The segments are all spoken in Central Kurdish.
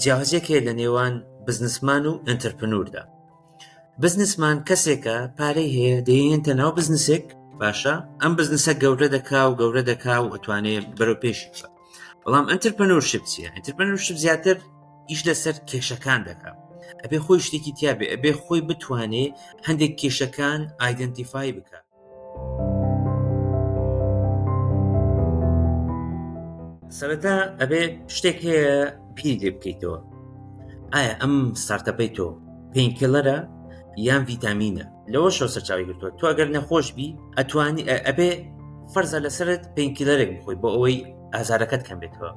جیاوازیەک هەیە لە نێوان بزنسمان و ئەتەرپنوردا. بزنسمان کەسێکە پارەی هەیە دەیەنتە ناو بزنسێک باشە ئەم بزنسە گەورە دەکا و گەورە دەکا و ئەتوانێ بەرەو پێشی بە بەڵام ئەتەرپنورشپ چییە؟ ئەتەرپنورشپ زیاتر ئیش لەسەر کێشەکان دەکا ئەبێ خۆی شتێکی تیاابێ ئەبێ خۆی بتوانێ هەندێک کێشەکان ئایدنتیفای بکە. سەرەتا ئەبێ شتێک هەیە بیری لێ بکەیتەوە ئایا ئەم ستارتەپەی تۆ پێینکیڵەرە یان ڤیتامینە لەوە شەو سەرچاوی گرتووە تۆ ئەگەر نەخۆش بی ئەتوانی ئەبێ فەرزە لەسرت پێینکیلەرێک بخۆی بۆ ئەوەی ئازارەکەت کەم بێتەوە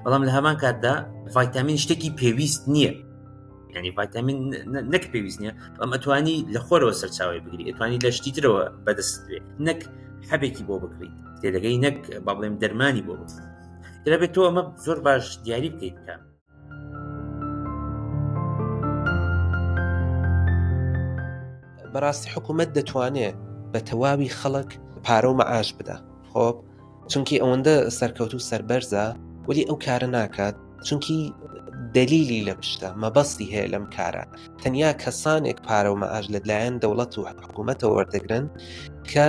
بەڵام لە هەمان کاتدا ڤایتامین شتێکی پێویست نییە ینی ڤایتامین نەک پێویست نییە بەڵام ئەتوانی لە خۆرەوە سەرچاوی بگری ئەتوانی لە شتی ترەوە بەدەست بێ نەک حەبێکی بۆ بکریت تێدەگەی نەک با بڵێم دەرمانی بۆ بکریت دەبێت تۆ ئەمە زۆر باش دیاری بکەیت کە بەڕاستی حکوومەت دەتوانێت بە تەواوی خەڵک پارە و مەعاش بدا خۆب چونکی ئەوەندە سەرکەوت و سەربەرزە وەلی ئەو کارە ناکات چونکی دەلیلی لە پشتە مەبەستی هەیە لەم کارە تەنیا کەسانێک پارە و مەعاش لە لایەن دەوڵەت و حکوومەتەوە وەردەگرن کە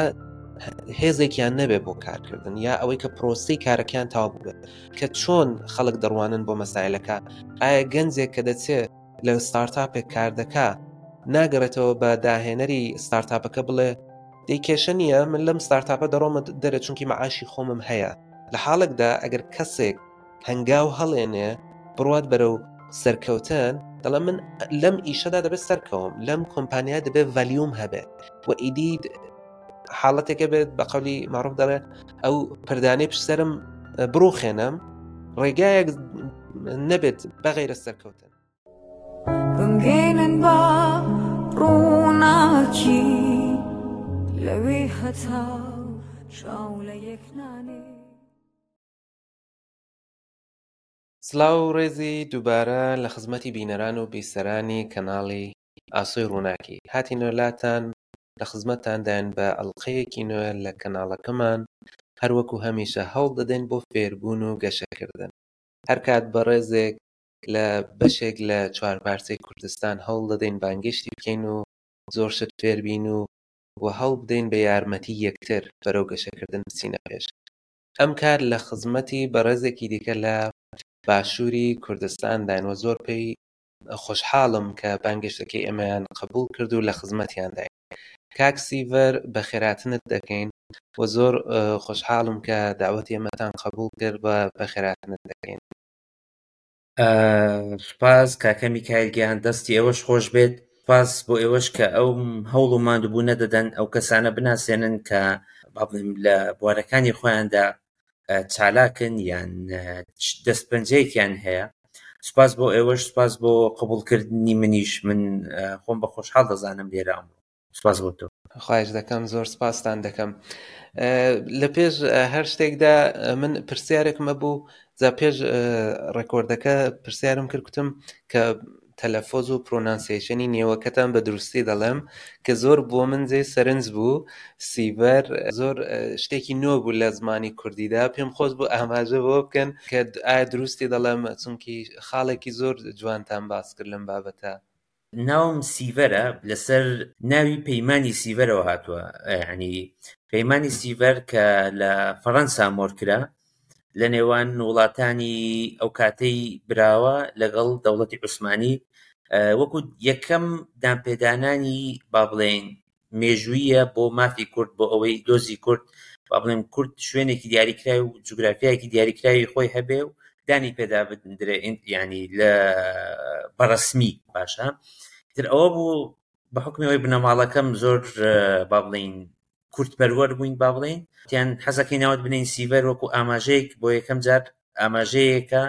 هێزێکیان نەبێ بۆ کارکردن یا ئەوەی کە پرۆسی کارەکان تاوا بووبێت کە چۆن خەڵک دەڕوانن بۆ مەسایلەکە ئایا گەنجێک کە دەچێت لە ستارتاپێک کار دەکا ناگەڕێتەوە بە داهێنەری ستارتاپەکە بڵێ دەی کێشە نییە من لەم ستارتاپە دەڕۆمە دەرە چونکی مەعاشی خۆمم هەیە لە حاڵێکدا ئەگەر کەسێک هەنگاو هەڵێنێ بڕوات بەرەو سەرکەوتن دەڵێ من لەم ئیشەدا دەبێت سەرکەوم لەم کۆمپانیا دەبێت ڤەلیوم هەبێت و ئیدی حاڵەتێکە بێت بە قەولی معروف دەڵێ ئەو پردانەی پشت سەرم بڕوخێنم ڕێگایەک نەبێت بەغیرە سەرکەوتن. بمگەینن بە ڕووناکی لەوێ هەتا چاو لە یەک نانێ. سڵاو و ڕێزی دووبارە لە خزمەتی بینەران و بیسەرانی کەناڵی ئاسۆی ڕووناکی هاتینەوە لاتان لە خزمەتتانداین بە ئەڵقەیەکی نوێ لە کەناڵەکەمان هەروەکو هەمیشە هەوڵ دەدەین بۆ فێربوون و گەشەکردن هەرکات بەڕێزێک لە بەشێک لە چوارپارچەی کوردستان هەوڵ دەدەین بانگێشتی بکەین و زۆر شت فێربین و و هەوڵ بدەین بە یارمەتی یەکتر بەرەو گەشەکردن بچینە پێش. ئەم کار لە خزمەتی بەڕێزێکی دیکە لە باشووری کوردستانداین و زۆر پێی خۆشحاڵم کە بانگێشتەکەی ئێمەیان قبوڵ کرد و لە خزمەتیانداین. کاک سیڤەر بەخێراتنت دەکەین و زۆر خۆشحاڵم کە داوەتی ئێمەتان قبوڵ کرد و بەخێراتنت دەکەین. سوپاس کاکە میکایل گیان دەستی ئێوەش خۆش بێت سوپاس بۆ ئێوەش کە ئەو هەوڵ و ماندووبوونە دەدەن ئەو کەسانە بناسێنن کە با بڵێم لە بوارەکانی خۆیاندا چالاکن یان دەستپەنجەیەکیان هەیە سوپاس بۆ ئێوەش سوپاس بۆ قبوڵکردنی منیش من خۆم بە خۆشحاڵ دەزانم لێرە ئەمڕۆ سپاس بۆ تۆ. خواهش دەکەم زۆر سپاستان دەکەم لە پێش هەر شتێکدا من پرسیارێکم هەبوو جا پێش ڕێکۆردەکە پرسیارم کرد کوتم کە تەلەفۆز و پرۆنانسیشنی نێوەکەتان بە دروستی دەڵێم کە زۆر بۆ من جێ سەرنج بوو سیڤەر زۆر شتێکی نوێ بوو لە زمانی کوردیدا پێم خۆش بوو ئاماژە بۆ بکەن کە ئایا دروستی دەڵێم چونکی خاڵێکی زۆر جوانتان باس کرد لەم بابەتە. ناوم سیڤەرە لەسەر ناوی پەیمانی سیڤەرەوە هاتووە یعنی پەیمانی سیڤەر کە لە فەڕەنسا مۆرکرا لە نێوان وڵاتانی ئەو کاتەی براوە لەگەڵ دەوڵەتی عوسمانی وەکو یەکەم دانپێدانانی با بڵێین مێژوویە بۆ مافی کورد بۆ ئەوەی دۆزی کورد با بڵێم کورد شوێنێکی دیاریکراوی و جوگرافیایەکی دیاریکراوی خۆی هەبێ و دانی پێدا بدرێ ینی لە بەڕسمی باشە تر ئەوە بوو بە حکمی ئەوەی بنەماڵەکەم زۆر با بڵین کوردپەروەر بووین با بڵین تیان حەزەکەی ناوت بنین سیڤەر وەکو ئاماژەیەک بۆ یەکەم جار ئاماژەیەکە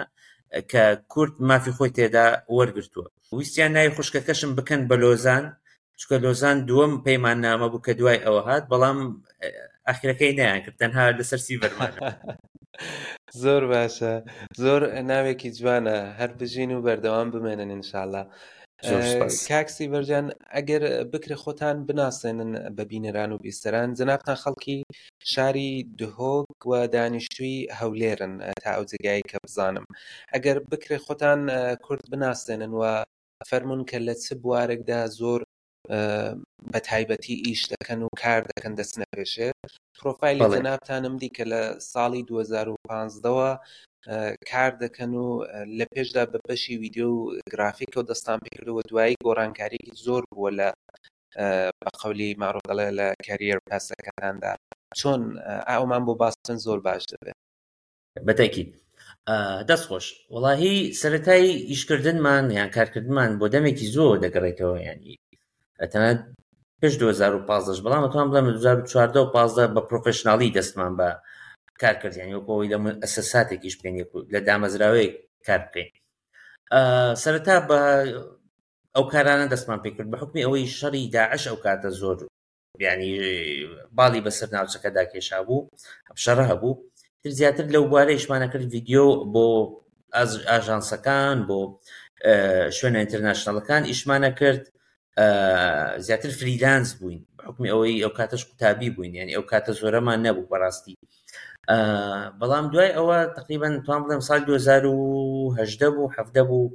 کە کورد مافی خۆی تێدا وەرگرتووە. ویستیان ناوی خوشکەکەشم بکەن بە لۆزان، چونکە لۆزان دووەم پەیماننامە بوو کە دوای ئەوە هات، بەڵام ئاخرەکەی نەیانکرد، تەنها لەسەر سیڤەر مانەوە. زۆر باشە، زۆر ناوێکی جوانە، هەر بژین و بەردەوام بمێنن ان شاءاللە. کاک سیڤەر جان ئەگەر بکرێ خۆتان بناسێنن بە بینەران و بیستەران جەنابتان خەڵکی شاری دهۆک و دانیشتووی هەولێرن تا ئەو جێگایەی کە بزانم ئەگەر بکرێ خۆتان کورد بناسێنن و فەرمونون کە لە چ بوارێکدا زۆر بە تایبەتی ئیش دەکەن و کار دەکەن دەچنە پێشێ پرۆفایلی جەنابتانم دی کە لە ساڵی 2015ەوە کار دەکەن و لە پێشدا بە بەشی ویددیو و گرافیکەوە دەستان پێکردەوە دوایی گۆڕانکاریکی زۆر بووە لە بە قەولی ماڕۆ دەڵێ لە کەریەر پاسەکاندا چۆن ئەومان بۆ باستن زۆر باش دەبێت بەتەکید دەست خۆش وەڵاهی سەرەتای ئیشکردنمان یان کارکردمان بۆ دەمێکی زۆر دەگەڕێتەوە ینی تەنانەت پێش 2015 بەڵام ئەتوانم بڵێم 2014 و 15 بە پرۆفشناڵی دەستمان بە کار کرد یعنی وەکو ئەوەی لە ئەسەساتێکیش بکەین لە دامەزراوەیەک کار بکەین سەرەتا بە ئەو کارانە دەستمان پێکرد بە حکمی ئەوەی شەڕی داعش ئەو کاتە زۆر یعنی باڵی بەسەر ناوچەکەدا کێشا بوو شەڕە هەبوو تر زیاتر لەو بوارە ئیشمانە کرد ڤیددیو بۆ ئاژانسەکان بۆ شوێنە international ەکان ئیشمانە کرد زیاتر freelance بووین حکمی ئەوەی ئەو کاتەش قوتابی بووین یعنی ئەو کاتە زۆرەمان نەبوو بەڕاستی بەڵام دوای ئەوە تقریبا توان بڵێم سال 2010 بوو حەفدە بوو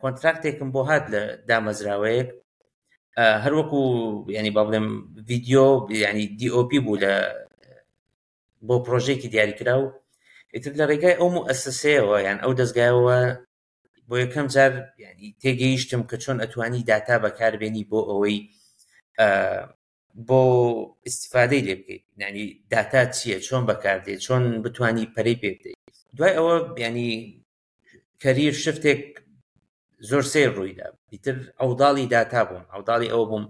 contract ێکم بۆ هات لە دامەزراوەیەک هەروەکو ینی با بڵێم ڤیددیو ینی DOP بوو لە بۆ پرۆژێکی دیاریکراو ئیتر لە ڕێگای ئەو موئەسەسەیەوە یان ئەو دەستگایەوە بۆ یەکەم جار ینی تێگەیشتم کە چۆن ئەتوانی داتا بەکاربێنی بۆ ئەوەی بۆ ئیسیفادەی لێ بکەیت ینی داتا چییە چۆن بەکاردێت چۆن بتانی پەرەی پێ بدەیت دوای ئەوە ینی career shift ێک زۆر سیر ڕوویدا ئیتر ئەوداڵی داتا بووم ئەوداڵی ئەوە بووم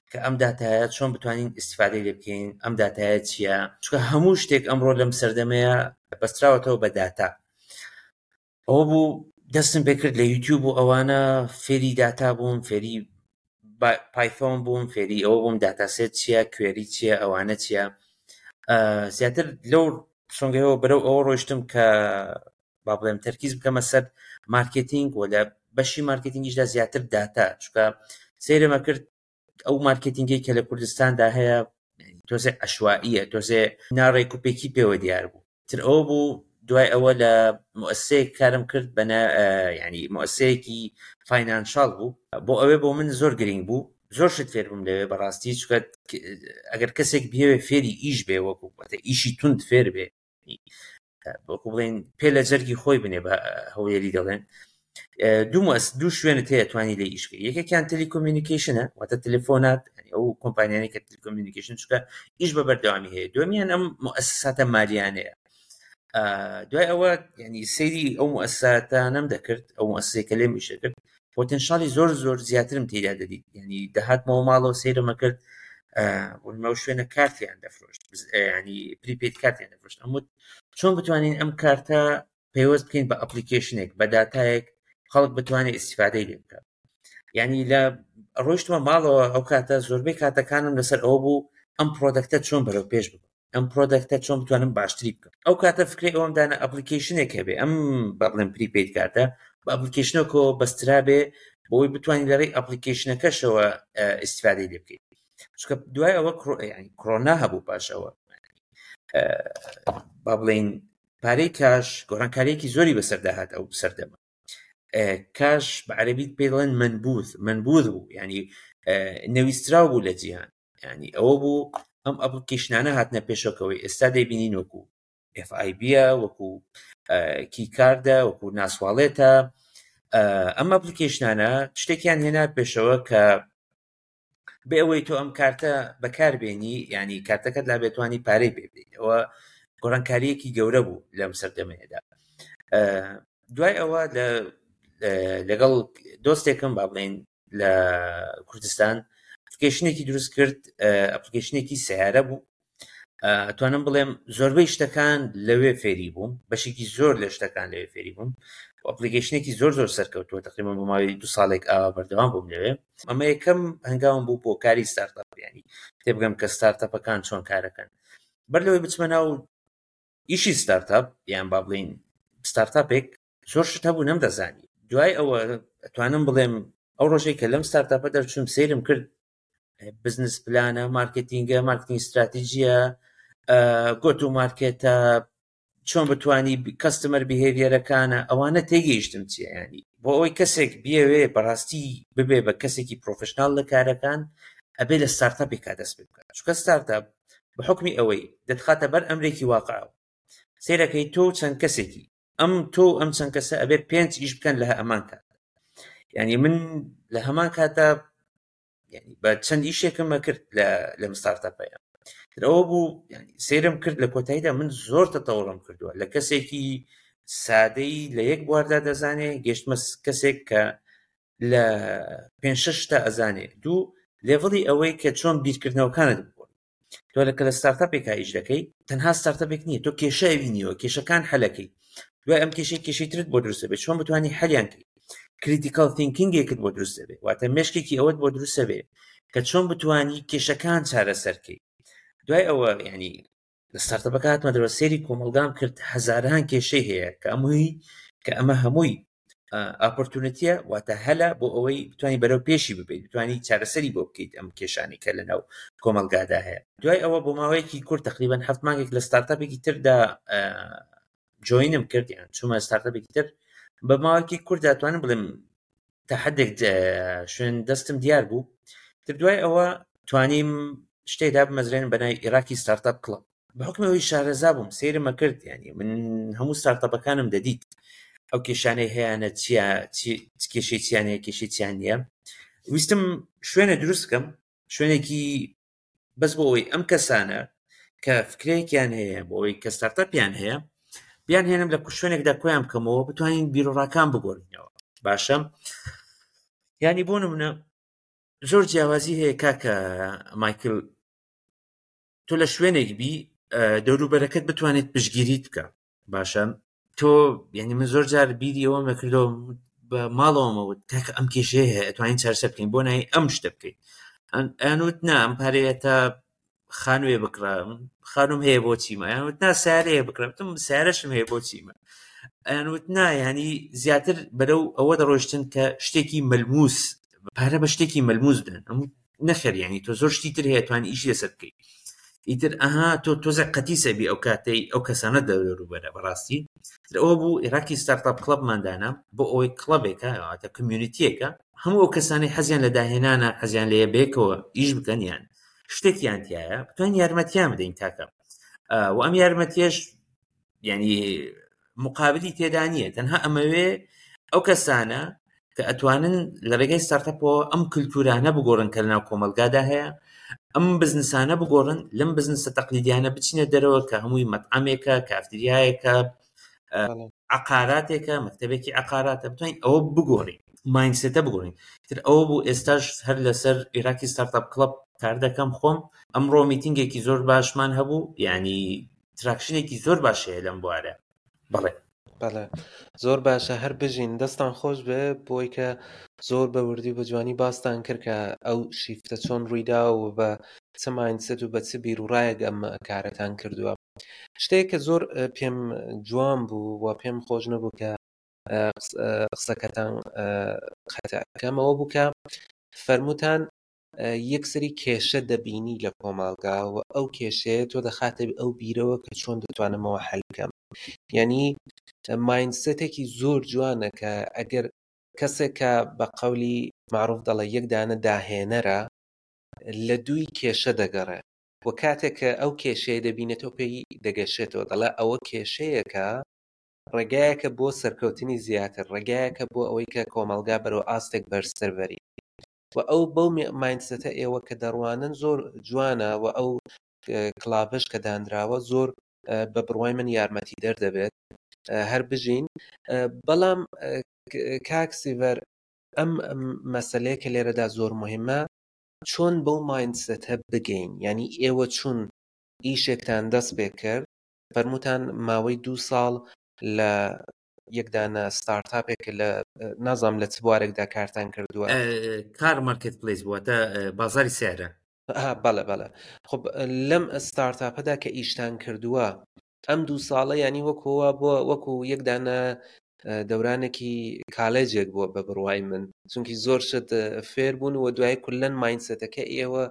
کە ئەم داتایە چۆن بتوانین ئیسیفادەی لێ بکەین ئەم داتایە چییە چونکە هەموو شتێک ئەمڕۆ لەم سەردەمەیە بەستراوەتەوە بە داتا ئەوە بوو دەستم پێکرد لە یوتیوب و ئەوانە فێری داتا بووم فێری Python بووم فێری ئەوە بووم dataset چییە query چییە ئەوانە چییە زیاتر لەو سۆنگەیەوە بەرەو ئەوە ڕۆیشتم کە با بڵێم تەرکیز بکەمە سەر مارکتینگ و لە بەشی مارکتینگیشدا زیاتر داتا چونکە سەیرمە کرد ئەو مارکتینگەی کە لە کوردستاندا هەیە تۆزێ عەشوائیە تۆزێ ناڕێک و پێکی پێوە دیار بوو تر ئەوە بوو دوای ئەوە لە موسسەیەک کارم کرد بەە ینی موسسەیەکی financial بوو بۆ ئەوێ بۆ من زۆر گرنگ بوو زۆر شت فێر بووم لەوێ بەڕاستی چونکە ئەگەر کەسێک بێوێ فێری ئیش بێ وەکو ئیشی تند فێر بێ وەکو بڵێن پێ لە جەرگی خۆی بنێ بە هەولێری دەڵێن دوو مەس دوو شوێنت هەیە توانی لێ ئیش بکەی یەکێکیان telecommunication ە واتە تەلەفۆنات ئەو کۆمپانیانی کە telecommunication چونکە ئیش بە بەردەوامی هەیە دومیان ئەم موئەسەساتە مالیانەیە دوای ئەوە ینی سەیری ئەو موئەسەساتانەم دەکرد ئەو موئەسەسەی کە لێم ئیشە کرد potential ی زۆر زۆر زیاترم تێدا دەدیت ینی دەهاتمەوە ماڵەوە سەیرمە کرد بۆ شوێنە کارتیان دەفرۆشت ینی prepaid کارتیان دەفرۆشت ئەموت چۆن بتوانین ئەم کارتە پەیوەست بکەین بە application ێک بە داتایەک خەڵک بتوانێت ئیسیفادەی لێ بکات یعنی لە ڕۆیشتمە ماڵەوە ئەو کاتە زۆربەی کاتەکانم لەسەر ئەوە بوو ئەم product ە چۆن بەرەو پێش ببم ئەم product ە چۆن بتوانم باشتری بکەم ئەو کاتە فکری ئەوم دانا application ێک هەبێ ئەم بە بڵێم prepaid کارتە بە application ەکەوە بەسترابێ بۆی بتوانین لە ڕێی application ەکەشەوە ئیسیفادەی لێ بکەیت چونکە دوای ئەوە کرۆنا هەبوو پاش ئەوە با بڵین پارەی cash گۆڕانکاریەکی زۆری بەسەردا هات ئەو سەردەمە cash بە عەربیت پێی دەڵێن منبوذ منبوذ بوو ینی نەویستراو بوو لە جیهان ینی ئەوە بوو ئەم application انە هاتنە پێشەکەوەی ئێستا دەیبینین وەکو FIB وەکو کیکاردە وەکو ناسواڵێتە ئەم application انە شتێکیان هێنا پێشەوە کە بێ ئەوەی تۆ ئەم کارتە بەکاربێنی ینی کارتەکەت لا بێتوانی پارەی پێ بدەیت ئەوە گۆڕانکاریەکی گەورە بوو لەم سەردەمەیەدا دوای ئەوە لەگەڵ دۆستێکم با بڵێن لە کوردستان application ێکی دروست کرد application ێکی سیارە بوو ئەتوانم بڵێم زۆربەی شتەکان لەوێ فێری بووم بەشێکی زۆر لە شتەکان لەوێ فێری بووم application ێکی زۆر زۆر سەرکەوتووە تقریبا بۆ ماوەی دو ساڵێک ئاوا بەردەوام بووم لەوێ ئەمە یەکەم هەنگاوم بوو بۆ کاری ستارتەپ ینی تێبگەم کە ستارتەپەکان چۆن کارەکەن بەر لەوەی بچمە ناو ئیشی ستارتەپ یان با بڵین ستارتاپێک زۆر شت هەبوو نەمدەزانی دوای ئەوە ئەتوانم بڵێم. ئەو ڕۆژەی کە لەم startup ە دەرچووم سەیرم کرد business plan ە، marketing ە، مارکتینگ استراتیجیە، go to market ە، چۆن بتانی customer behavior ەکانە، ئەوانە تێگەیشتم چیە. ینی بۆ ئەوەی کەسێک بیەوێ بەڕاستی ببێ بە کەسێکی professional لە کارەکان ئەبێ لە startup ێکا دەست پێ بکات، چونکە startup بە حوکمی ئەوەی دەتخاتە بەر ئەمرێکی واقعەوە. سەیرەکەی تۆ چەند کەسێکی ئەم تۆ ئەم چەند کەسە ئەبێ پێنج ئیش بکەن لە هەمان کات. یعنی من لە هەمان کاتدا یعنی بە چەند ئیشێکم ئەکرد لەم startup ەیە. ئەوە بوو یعنی سەیرم کرد لە کۆتاییدا من زۆر تەتەوڕم کردووە لە کەسێکی سادەی لە یەک بواردا دەزانێ گەشتمە کەسێک کە لە پێنج شەش شتا ئەزانێ. دوو level ی ئەوەی کە چۆن بیرکردنەوەکانت بگۆڕی. تۆ لە کە لە startup ێکا ئیش دەکەی تەنها startup ێک نییە، تۆ کێشە ئەبینیەوە، کێشەکان حەلەکەی، دوای ئەم کێشەی کێشەی ترت بۆ دروست دەبێت، چۆن بتوانی حەلیان کەی، critical thinking ێکت بۆ دروست دەبێت، واتە مێشکێکی ئەوەت بۆ دروست دەبێت کە چۆن بتوانی کێشەکان چارەسەر کەی. دوای ئەوە یعنی لە startup ەکە هاتمە دەرەوە سەیری کۆمەڵگام کرد، هەزاران کێشەی هەیە کە ئەمەی کە ئەمە هەمووی opportunity ە، واتە هەلە بۆ ئەوەی بتوانی بەرەو پێشی ببیت، بتوانی چارەسەری بۆ بکەیت ئەم کێشانەی کە لەناو کۆمەڵگادا هەیە. دوای ئەوە بۆ ماوەیەکی کورت تقریبا 7 مانگێک لە startup ێکی تردا join م کرد، یان چوومە startup ێکی تر. بە ماوەیەکی کورت دەتوانم بڵێم تا حدێک شوێن دەستم دیار بوو. تر دوای ئەوە توانیم شتێک دابمەزرێنم بە ناوی ئێراقی startup club. بە حوکمی ئەوەی شارەزا بووم سەیرم ئەکرد، یعنی من هەموو startup ەکانم دەدیت ئەو کێشانەی هەیەە چییە، چ کێشەی چیان هەیە، کێشەی چیان نییە. ویستم شوێنە دروست بکەم، شوێنێکی بەس بۆ ئەوەی ئەم کەسانە کە فکرێکیان هەیە، بۆ ئەوەی کە startup یان هەیە، بیان هێنم لە شوێنێکدا کۆیان بکەمەوە بتوانین بیرۆڕاکان بگۆڕینەوە. باشە، یعنی بۆ نمونە زۆر جیاوازی هەیە کاکە مایکل، تۆ لە شوێنێک بی دەوروبەرەکەت بتوانێت پشتگیریت بکە. باشە، تۆ یعنی من زۆر جار بیری ئەوەم نەکردەوە بە ماڵەوەمەوت کاکە ئەم کێشەیە هەیە ئەتوانین چارەسەر بکەین، بۆ نای ئەم شتە بکەین. ئەیانوت نا ئەم پارەیە تا خانووێ بکڕم، خانوم هەیە بۆ چیمە. ئەیانوت نا سیارەیە بکڕم، وتم سیارەشم هەیە بۆ چیمە. ئەیانوت نا، یعنی زیاتر بەرەو ئەوە دەڕۆیشتن کە شتێکی ملموس، پارە بە شتێکی ملموس بدەن. ئەم نەخێر، یعنی تۆ زۆر شتی تر هەیە توانی ئیشی لەسەر بکەیت. ئیتر ئەها تۆ تۆزێک قەتیسە بی ئەو کاتەی ئەو کەسانە دەوروبەرە بەڕاستی. تر ئەوە بوو ئێراقی startup club مان دانا بۆ ئەوەی club ێکە، واتە community ێکە، هەموو ئەو کەسانەی حەزیان لە داهێنانە، حەزیان لێیە بەیەکەوە ئیش بکەن یان شتێکیان تایە بتوانین یارمەتیان بدەین کاکە. و ئەم یارمەتیەش یعنی مقابلی تێدا نییە، تەنها ئەمەوێ ئەو کەسانە کە ئەتوانن لە ڕێگەی startup ەوە ئەم کللتورانە بگۆڕن کە لەناو کۆمەلگادا هەیە، ئەم بزنسانە بگۆڕن، لەم بزنسە تەقلیدیانە بچینە دەرەوە کە هەمووی مەطعەمێکە، کافتریایەکە، عقاراتێکە، مەکتەبێکی عقاراتە، بتوانین ئەوە بگۆڕین، mindset ە بگۆڕین. تر ئەوە بوو ئێستاش هەر لەسەر ئێراقی startup club کار دەکەم خۆم. ئەمڕۆ meeting ێکی زۆر باشمان هەبوو، یعنی traction ێکی زۆر باش هەیە لەم بوارە. بەڵێ بەڵێ زۆر باشە، هەر بژین، دەستان خۆش بێ بۆی کە زۆر بە وردی و بە جوانی باستان کرد کە ئەو shift ە چۆن ڕوویدا و بە چ mindset و بە چ بیر و ڕایەک ئەم کارەتان کردووە. شتێک کە زۆر پێم جوان بوو و پێم خۆش نەبوو کە قسەکەتان قەتعکەمەوە بوو کە فەرمووتان یەکسەری کێشە دەبینی لە کۆمەڵگا و ئەو کێشەیە تۆ دەخاتە ئەو بیرەوە کە چۆن دەتوانمەوە حل بکەم. یعنی mindset ێکی زۆر جوانە کە ئەگەر کەسێک کە بە قەولی معروف دەڵێ یەک دانە داهێنەرە لە دووی کێشە دەگەڕێ و کاتێک کە ئەو کێشەیە دەبینێتەوە پێی دەگەشێتەوە، دەڵێ ئەوە کێشەیەکە ڕێگایەکە بۆ سەرکەوتنی زیاتر، ڕێگایەکە بۆ ئەوەی کە کۆمەلگا بەرەو ئاستێک بەرزتر بەری. و ئەو بەو mindset ە ئێوە کە دەڕوانن زۆر جوانە و ئەو club ەش کە دانراوە زۆر بە بڕوای من یارمەتی دەردەبێت. هەر بژین. بەڵام کاک سیڤەر ئەم مەسلەیە کە لێرەدا زۆر مهمە، چۆن بەو mindset ە بگەین؟ یعنی ئێوە چون ئیشێکتان دەست پێ کرد، فەرمووتان ماوەی 2 ساڵ لە یەکدانە startup ێک لە نازانم لە چ بوارێکدا کارتان کردووە؟ car marketplace بووە، تا بازاری سیارە. بەڵێ، بەڵێ. خب لەم startup ەدا کە ئیشتان کردووە ئەم 2 ساڵە، یعنی وەکووا بۆ وەکو یەکدانە دەورانێکی کالێجێک بووە بە بڕوای من چونکی زۆر شت فێر بوون و دوای کولەن mindset ەکە ئێوە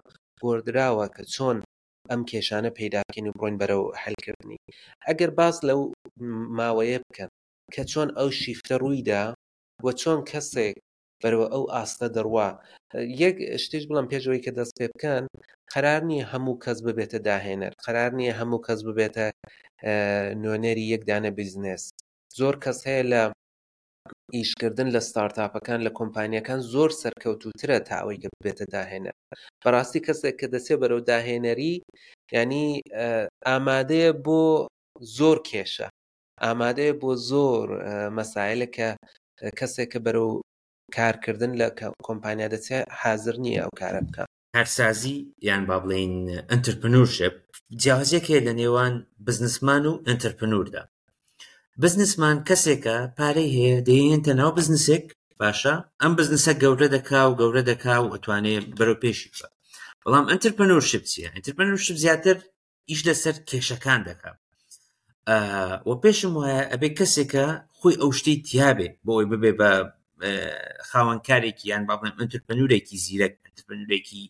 گۆردراوە کە چۆن ئەم کێشانە پەیدا بکەین و بڕۆین بەرەو حلکردنی ئەگەر باس لەو ماوەیە بکەن کە چۆن ئەو shift ە ڕوویدا و چۆن کەسێک بەرەوە ئەو ئاستە دەڕوا. یەک شتیش بڵێم پێش ئەوەی کە دەست پێ بکەن، قەرار نییە هەموو کەس ببێتە داهێنەر، قەرار نییە هەموو کەس ببێتە نوێنەری یەک دانە بزنس. زۆر کەس هەیە لە ئیشکردن لە ستارتاپەکان لە کۆمپانیەکان زۆر سەرکەوتووترە تا ئەوەی کە ببێتە داهێنەر. بەڕاستی کەسێک کە دەچێت بەرەو داهێنەری یعنی ئامادەیە بۆ زۆر کێشە ئامادەیە بۆ زۆر مەسایلە کە کەسێک کە بەرەو کارکردن لە کۆمپانیا دەچێت حازر نییە ئەو کارە بکە. کارسازی یان با بڵێین entrepreneurship جیاوازیەک هەیە لە نێوان businessman و entrepreneur دا. businessman کەسێکە پارەی هەیە دەیهێنێتە ناو بزنسێک باشە ئەم بزنسە گەورە دەکا و گەورە دەکا و ئەتوانێ بەرەو پێشی ببا. بەڵام entrepreneurship چییە؟ entrepreneurship زیاتر ئیش لەسەر کێشەکان دەکا و پێشم وایە ئەبێ کەسێکە خۆی ئەو شتەی تیابێ بۆ ئەوی ببێ بە خاوەنکارێکی یان با بڵێم entrepreneur ێکی زیرەک entrepreneur ێکی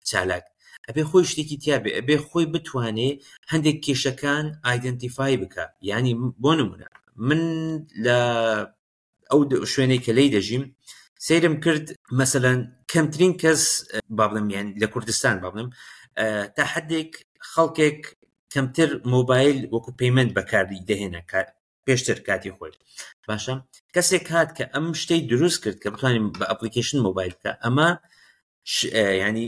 چالاک ئەبێ خۆی شتێکی تیابێ ئەبێ خۆی بتوانێ هەندێک کێشەکان identify بکە ینی بۆ نمونە من لە ئەو شوێنەی کە لی دەژیم سەیرم کرد مەسەەن کەمترین کەس با بڵێم یان لە کوردستان با بڵێم تا حدێک خەڵکێک کەمتر مۆبایل وەکو payment بەکاری دەهێنا پێشتر کاتی خۆی باشە کەسێک هات کە ئەم شتەی دروست کرد کە بتوانین بە application مۆبایل بکە ئەمە ینی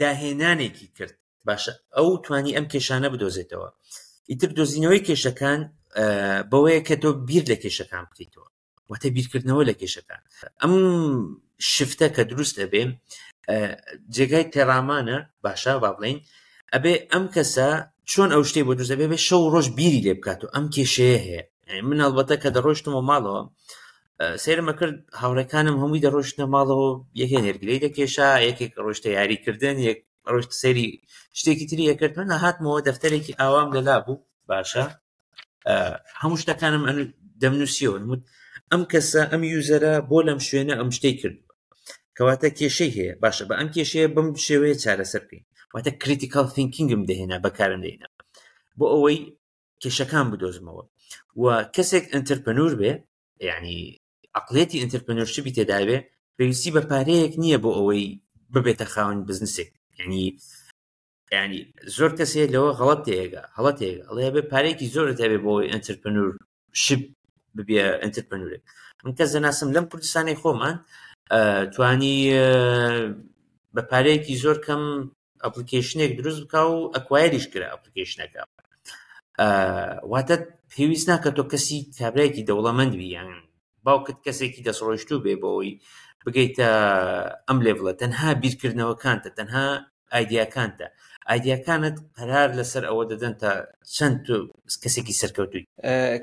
داهێنانێکی کرد باشە ئەو توانی ئەم کێشانە بدۆزێتەوە ئیتر دۆزینەوەی کێشەکان بەوەیە کە تۆ بیر لە کێشەکان بکەیتەوە واتە بیرکردنەوە لە کێشەکان ئەم shift ە کە دروست ئەبێ جێگای تێڕامانە باشە با بڵین ئەبێ ئەم کەسە چۆن ئەو شتەی بۆ دروست ئەبێ بێ شەو ڕۆژ بیری لێ بکات و ئەم کێشەیە هەیە من هەڵبەتە کە دەڕۆشتمەوە ماڵەوە سەیرمە کرد هاوڕێکانم هەمووی دەڕۆشتنە ماڵەوە یەکێ نێرگلەی دەکێشا یەکێک ڕۆشتە یاریکردن یەک ڕۆشت سەیری شتێکی تری ئەکرد من هاتمەوە دەفتەرێکی ئاوام لەلا بوو باشە هەموو شتەکانم دەمنووسیەوە ئەم کەسە ئەم user ە بۆ لەم شوێنە ئەم شتەی کرد کەواتە کێشەی هەیە باشە بە ئەم کێشەیە بەم شێوەیە چارەسەر بکەین واتە critical thinking م دەهێنا بەکارم دەهێنا بۆ ئەوەی کێشەکان بدۆزمەوە و کەسێک entrepreneur بێ یعنی عقلێتی entrepreneurship ی تێداوێ پێویستی بە پارەیەک نییە بۆ ئەوەی ببێتە خاوەن بزنسێک یعنی ینی زۆر کەسێ لەوە غەڵەت تێگا هەڵە تێگا ئەڵێ بێ پارێکی زۆرت هەبێ بۆ entrepreneurship ببیە entrepreneur ێک من کەس دەناسم لەم کوردستانی خۆمان توانی بە پارەیەکی زۆر کەم application ێک دروست بکا و acquire یش کرا application ەکە واتە پێویست ناکە تۆ کەسی کابرایەکی دەوڵەمەند بی یان باوکت کەسێکی دەستڕۆیشتوو بێ بۆ ئەوەی بگەیتە ئەم level ە تەنها بیرکردنەوەکانتە تەنها ئایدیاکانتە ئایدیاکانت قەرار لەسەر ئەوە دەدەن تا چەند تۆ کەسێکی سەرکەوتووی.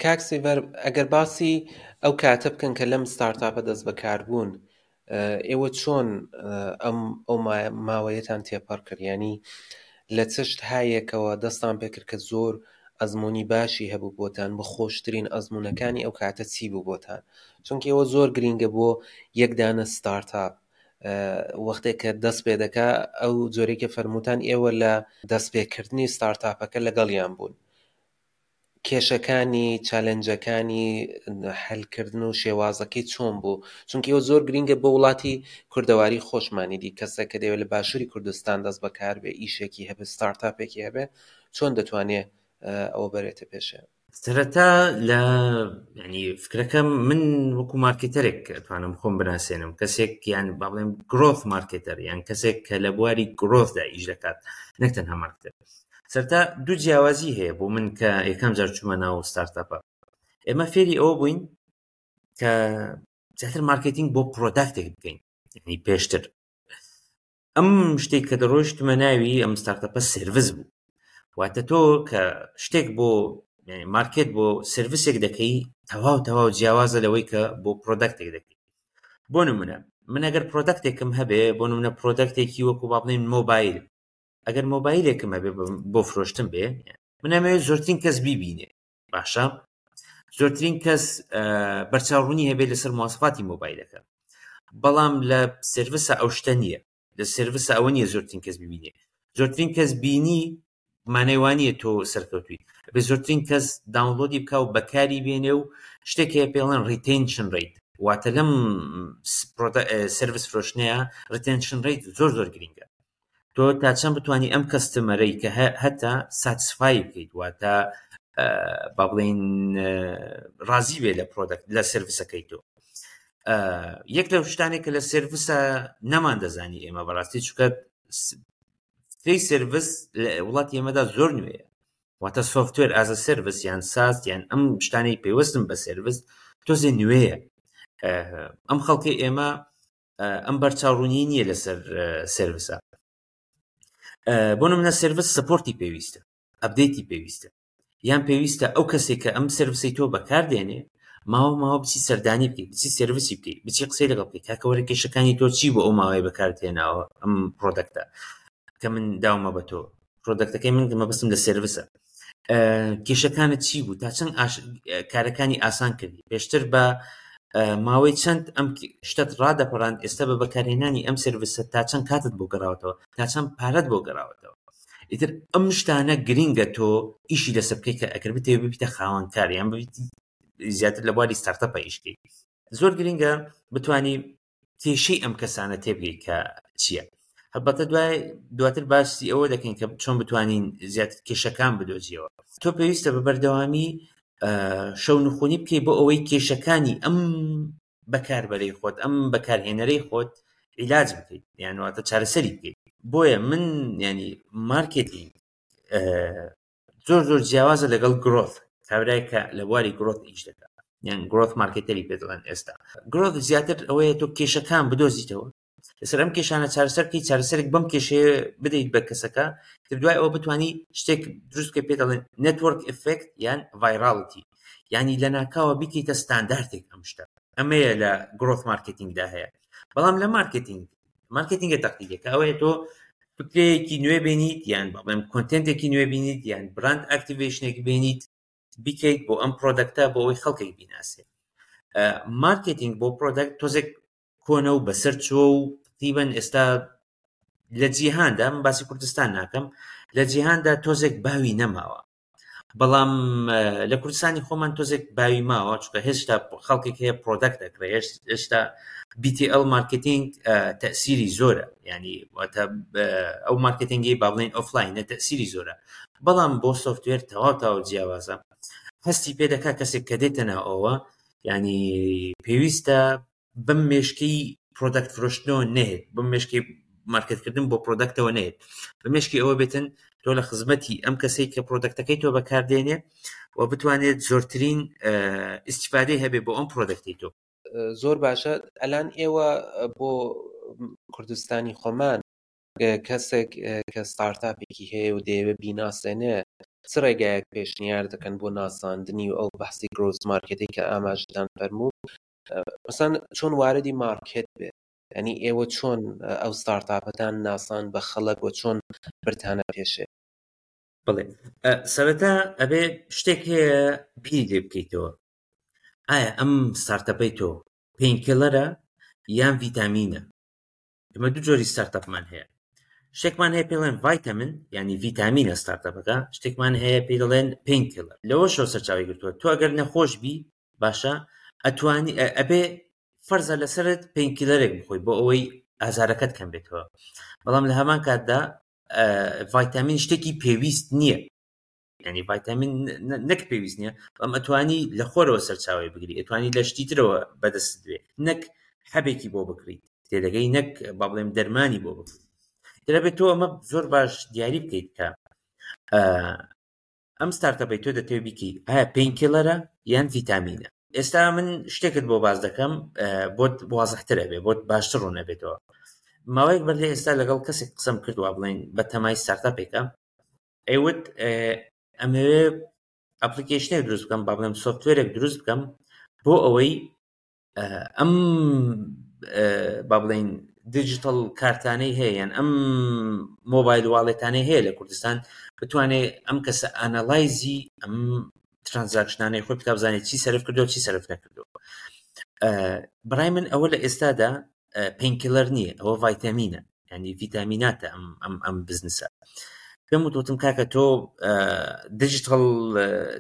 کاک سیڤەر ئەگەر باسی ئەو کاتە بکەن کە لەم ستارتاپە دەست بەکار بوون ئێوە چۆن ئەم ئەو ماوەیەتان تێپەڕ کرد ینی لە چشت هایەکەوە دەستان پێکرد کە زۆر ئەزمموی باشی هەبوو بۆتان بە خۆشترین ئەزمونونەکانی ئەو کاتە چی بوو بۆتان چونکە ئێوە زۆر گرینگە بۆ یەکدانە ستارتاپ وەختێک کە دەست پێ دەکا ئەو جۆرێکە فەرمووتان ئێوە لە دەستپێکردنی ستارتاپەکە لەگەڵیان بوون کێشەکانی challenge ەکانی حەلکردن و شێوازەکەی چۆن بوو چونکە ئەوە زۆر گرینگە بۆ وڵاتی کوردەواری خۆشمانی دی کەسێک کە دەیەوێت لە باشووری کوردستان دەست بەکار بێ ئیشێکی هەبێ ستارتاپێکی هەبێ چۆن دەتوانێ ئەوە بەرێتە پێشێ؟ سەرەتا لە ینی فکرەکەم من وەکو marketer ێک ئەتوانم خۆم بناسێنم کەسێک یان با بڵێم growth marketer یان کەسێک کە لە بواری growth دا ئیش دەکات نەک تەنها marketer سەرتا دوو جیاوازی هەیە بۆ من کە یەکەم جار چوومە ناو startup ە ئێمە فێری ئەوە بووین کە زیاتر مارکتینگ بۆ product ێک بکەین یعنی پێشتر ئەم شتێک کە دەڕۆیشتمە ناوی ئەم startup ە service بوو واتە تۆ کە شتێک بۆ market بۆ service ێک دەکەی تەواو تەواو جیاوازە لەوەی کە بۆ product ێک دەکەی بۆ نمونە من ئەگەر product ێکم هەبێ بۆ نمونە product ێکی وەکو با بڵێین مۆبایل ئەگەر مۆبایلێکم هەبێ بۆ فرۆشتن بێ من ئەمەوێت زۆرترین کەس بیبینێ باشە. زۆرترین کەس بەرچاوڕوونی هەبێت لەسەر مواسفاتی مۆبایلەکە. بەڵام لە service ە ئەو شتە نییە. لە service ە ئەوە نییە زۆرترین کەس ببینێ. زۆرترین کەس بینی مانای وا نییە تۆ سەرکەوتووی. ئەبێ زۆرترین کەس download ی بکا و بەکاری بێنێ و شتێک هەیە پێڵێن retention rate. واتە لەم service فرۆشتنەیە retention rate زۆر زۆر گرینگە. تۆ تا چەند بتانی ئەم customer ەی کە هەتا satisfy بکەیت، واتە با بڵێین ڕازی بێ لە product لە service ەکەی تۆ. یەک لەو شتانێک کە لە service ە نەمان دەزانی ئێمە بەڕاستی، چونکە فکرەی service لە وڵاتی ئێمەدا زۆر نوێیە. واتە software as a service یان SaaS یان ئەم شتانەی پەیوەستن بە service تۆزێ نوێیە. ئەم خەڵکی ئێمە ئەم بەرچاوڕوونی نییە لەسەر service ە. بۆ نمونە service support ی پێویستە، update ی پێویستە، یان پێویستە ئەو کەسێک کە ئەم service ەی تۆ بەکاردێنێ ماوە ماوە بچی سەردانی بکەیت، بچی service ی بکەیت، بچی قسەی لەگەڵ بکەیت، کاکە وەرە کێشەکانی تۆ چی بۆ ئەو ماوەیە بەکارتێناوە ئەم product ە کە من داومە بە تۆ، product ەکەی من مەبەستم لە service ە، کێشەکانت چی بوو، تا چەند کارەکانی ئاسان کردی، پێشتر بە ماوەی چەند ئەم شتت ڕادەپەڕاند، ئێستا بە بەکارهێنانی ئەم service ە تا چەند کاتت بۆ گەڕاوەتەوە، تا چەند پارەت بۆ گەڕاوەتەوە. ئیتر ئەم شتانە گرینگە تۆ ئیشی لەسەر بکەیت کە ئەگەر بتەوێت ببیتە خاوەنکار یان ببیت زیاتر لە بواری startup ە ئیش بکەیت، زۆر گرینگە بتانی کێشەی ئەم کەسانە تێبگەیت کە چییە. هەڵبەتە دواتر باسی ئەوە دەکەین کە چۆن بتوانین زیاتر کێشەکان بدۆزیەوە. تۆ پێویستە بە بەردەوامی شەونخونی بکەیت بۆ ئەوەی کێشەکانی ئەم بەکاربەرەی خۆت، ئەم بەکارهێنەرەی خۆت عیلاج بکەیت، یان واتە چارەسەری بکەیت. بۆیە من مارکێتینگ زۆر زۆر جیاوازە لەگەڵ growth. کابرای کە لە بواری growth ئیش دەکات، یان growth marketer ی پێ دەڵێن ئێستا. growth زیاتر ئەوەیە تۆ کێشەکان بدۆزیتەوە، لەسەر ئەم کێشانە چارەسەر بکەیت، چارەسەرێک بەم کێشەیە بدەیت بە کەسەکە، تر دوای ئەوە بتانی شتێک دروست بکەیت پێ دەڵێن network effect یان virality، یعنی لەناکاوە بیکەیتە ستانداردێک ئەم شتە. ئەمەیە لە growth marketing دا هەیە. بەڵام لە مارکێتینگە تەقلیدیەکە ئەوەیە تۆ فکرەیەکی نوێ بێنیت، یان بڵێم content ێکی نوێ بینیت، یان brand activation ێک بێنیت بیکەیت بۆ ئەم product ە بۆ ئەوەی خەڵکێک بیناسێت. مارکێتینگ بۆ product تۆزێک کۆنە و بەسەر چووە و تقریباً ئێستا لە جیهاندا، من باسی کوردستان ناکەم، لە جیهاندا تۆزێک باوی نەماوە. بەڵام لە کوردستانی خۆمان تۆزێک باوی ماوە، چونکە هێشتا خەڵکێک هەیە product دەکڕێ، هێشتا BTL مارکێتینگ تەسیری زۆرە، یعنی واتە ئەو مارکێتینگی با بڵێین ئۆفلاینە تەسیری زۆرە. بەڵام بۆ software تەواو تەواو جیاوازە. هەستی پێ دەکا کەسێک کە دێتە ناوەوە، یعنی پێویستە بەم مێشکی product فرۆشتنەوە نەهێت، بەم مێشکی مارکێتکردن بۆ product ەوە نەهێت، بە مێشکی ئەوە بێتن تۆ لە خزمەتی ئەم کەسەی کە product ەکەی تۆ بەکاردێنێ و بتوانێت زۆرترین ئیسیفادەی هەبێ بۆ ئەم product ەی تۆ. زۆر باشە. ئەلان ئێوە بۆ کوردستانی خۆمان کەسێک کە startup ێکی هەیە و دەیەوێت بیناسێنێ، چ ڕێگایەک پێشنیار دەکەن بۆ ناساندنی و ئەو بەحسی growth market ی کە ئاماژەتان فەرموو، مەسەن چۆن واردی مارکێت بێت؟ یعنی ئێوە چۆن ئەو startup ەتان ناسان بە خەڵک و چۆن برتانە پێشێ؟ بەڵێ، سەرەتا ئەبێ شتێک هەیە بیری لێ بکەیتەوە. ئایا ئەم startup ەی تۆ painkiller ە یان ڤیتامینە؟ ئێمە دوو جۆری startup مان هەیە. شتێکمان هەیە پێ دەڵێن ڤایتامین، یعنی ڤیتامینە startup ەکە، شتێکمان هەیە پێی دەڵێن painkiller. لەوەشەوە سەرچاوی گرتووە. تۆ ئەگەر نەخۆش بی، باشە، ئەتوانی، ئەبێ فەرزە لەسەرت painkiller ێک بخۆی بۆ ئەوەی ئازارەکەت کەم بێتەوە. بەڵام لە هەمان کاتدا، ڤایتامین شتێکی پێویست نییە. یعنی ڤایتامین نەک پێویست نییە، بەڵام ئەتوانی لە خۆرەوە سەرچاوی بگری، ئەتوانی لە شتی ترەوە بەدەست بێ، نەک حەبێکی بۆ بکڕیت، تێدەگەی، نەک با بڵێم دەرمانی بۆ بکڕیت. دەبێت تۆ ئەمە زۆر باش دیاری بکەیت کە، ئەم startup ەی تۆ دەتەوێت بیکەی ئایا painkiller ە یان ڤیتامینە. ئێستا من شتێکت بۆ باس دەکەم، بۆت وازحتر ئەبێ، بۆت باشتر ڕوون ئەبێتەوە. ماوەیەک بەر لە ئێستا لەگەڵ کەسێک قسەم کرد، وا بڵێن بە تەمای startup ێکە، ئەیوت، ئەمەوێ application ێک دروست بکەم، با بڵێم software ێک دروست بکەم بۆ ئەوەی، ئەم، با بڵێین digital کارتانەی هەیە یان ئەم mobile wallet انەی هەیە لە کوردستان بتوانێت ئەم کەسە analyze ی ئەم transaction انەی خۆی بکا بزانێت چی سەرف کردو چی سەرف نەکردو. بەڕای من ئەوە لە ئێستادا painkiller نییە، ئەوە ڤایتامینە، یعنی ڤیتامیناتە ئەم ئەم ئەم بزنسە. پێم وتوتم کاکە تۆ digital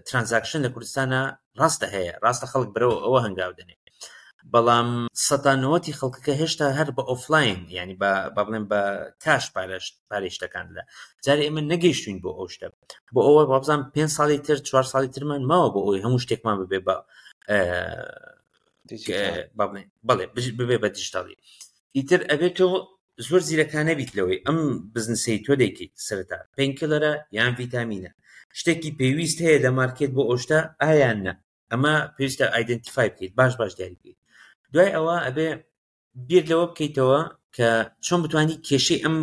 transaction لە کوردستانە ڕاستە هەیە، ڕاستە خەڵک بەرەوە ئەوە هەنگاو دەنێ، بەڵام سەتا نەوەتی خەڵکەکە هێشتا هەر بە ئۆفلاین، یعنی بە با بڵێم بە کاش پارەی شتەکان دەدا. جارێ ئێمە نەگەیشتوین بۆ ئەو شتە، بۆ ئەوە وابزانم 5 ساڵی تر 4 ساڵی ترمان ماوە بۆ ئەوەی هەموو شتێکمان ببێ بە با بڵێین بەڵێ ببێ بە دیجیتاڵی. ئیتر ئەبێت تۆ زۆر زیرەکانە بیت لەوەی ئەم بزنسەی تۆ دەیکەیت سەرەتا painkiller ە یان ڤیتامینە، شتێکی پێویست هەیە لە مارکێت بۆ ئەو شتە ئایا نا، ئەمە پێویستە identify بکەیت، باش باش دیاری بکەیت. دوای ئەوە ئەبێ بیر لەوە بکەیتەوە کە چۆن بتانی کێشەی ئەم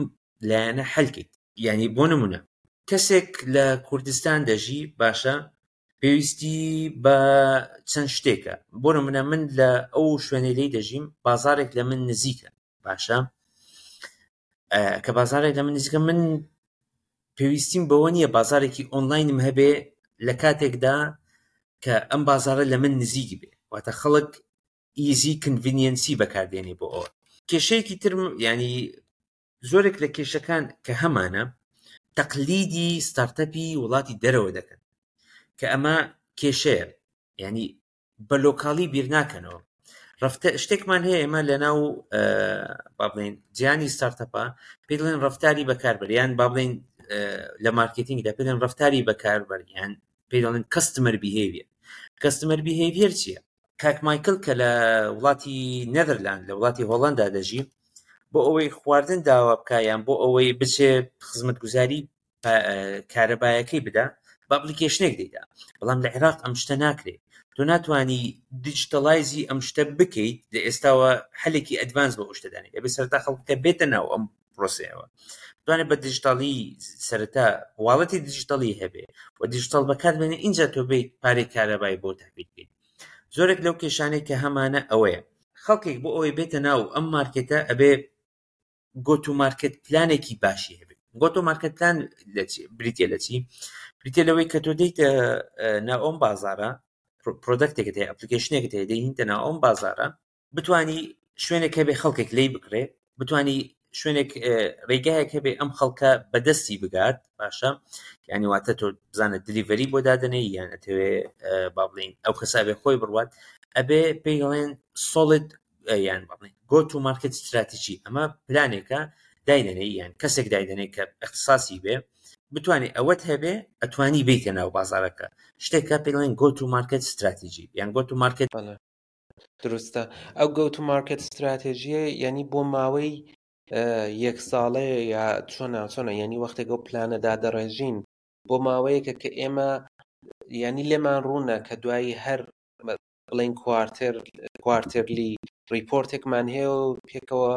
لایەنە حەلکەیت. یعنی بۆ نمونە کەسێک لە کوردستان دەژی، باشە پێویستی بە چەند شتێکە. بۆ نمونە من لە ئەو شوێنەی لێی دەژیم بازارێک لە من نزیکە، باشە کە بازارێک لە من نزیکە من پێویستیم بەوە نییە بازارێکی ئۆنلاینم هەبێ لە کاتێکدا کە ئەم بازارە لە من نزیک بێ، واتە خەڵک easy convenience ی بەکاردێنێ بۆ ئەوە. کێشەیەکی تر ینی زۆرێک لە کێشەکان کە هەمانە تەقلیدی startup ی وڵاتی دەرەوە دەکەن کە ئەمە کێشەیە، ینی بە local ی بیر ناکەنەوە. ڕفتە شتێکمان هەیە ئێمە لە ناو با بڵێین جیهانی startup ە پێی دەڵێن ڕفتاری بەکاربەر، یان با بڵێین لە مارکێتینگدا پێی دەڵێن ڕفتاری بەکاربەر، یان پێی دەڵێن customer behavior. customer behavior چییە؟ کاک مایکل کە لە وڵاتی نێدەرلاند لە وڵاتی هۆڵندا دەژی، بۆ ئەوەی خواردن داوا بکا یان بۆ ئەوەی بچێ خزمەتگوزاری کارەبایەکەی بدا بە application ێک دەیدا. بەڵام لە عێراق ئەم شتە ناکرێت. تۆ ناتوانی digitalize ی ئەم شتە بکەیت لە ئێستاوە حلێکی advance بۆ ئەو شتە دانێت. ئەبێ سەرەتا خەڵکەکە بێتە ناو ئەم پرۆسەیەوە، بتوانێت بە دیجیتالی سەرەتا wallet ی دیجیتالی هەبێ و دیجیتال بەکاربێنێ، ئینجا تۆ بیت پارەی کارەبای بۆ تەحویل بکەیت. زۆرێک لەو کێشانەی کە هەمانە ئەوەیە خەڵکێک بۆ ئەوەی بێتە ناو ئەم مارکێتە ئەبێ go to market plan ێکی باشی هەبێت. go to market plan بریتە لە چی؟ بریتە لەوەی کە تۆ دێیتە ناو ئەم بازارە، product ێکت هەیە، application ێکت هەیە، دێیتە ناو ئەم بازارە، بتانی شوێنێک هەبێ خەڵکێک لێی بکڕێ، بتانی شوێنێک ڕێگایەک هەبێ ئەم خەڵکە بەدەستی بگات. باشە یعنی واتە تۆ بزانە delivery بۆ دادەنێ یان ئەتەوێ با بڵێین ئەو کەسە ئەبێ خۆی بڕوات، ئەبێ پێی دەڵێن solid یان با بڵێین go to market strategy. ئەمە پلانێکە دایدەنێ یان کەسێک دایدەنێ کە اختصاصی بێ، بتوانێت ئەوەت هەبێ ئەتوانی بیتە ناو بازارەکە. شتێکە پێی دەڵێن go to market strategy یان go to market. درستە. ئەو go to market strategy یە یعنی بۆ ماوەی یەک ساڵەیە یا چۆنە چۆنە؟ یعنی وەختێک ئەو پلانە دادەڕێژین بۆ ماوەیەکە کە ئێمە یعنی لێمان ڕوونە کە دوایی هەر بڵین quarter quarterly report ێکمان هەیە و پێکەوە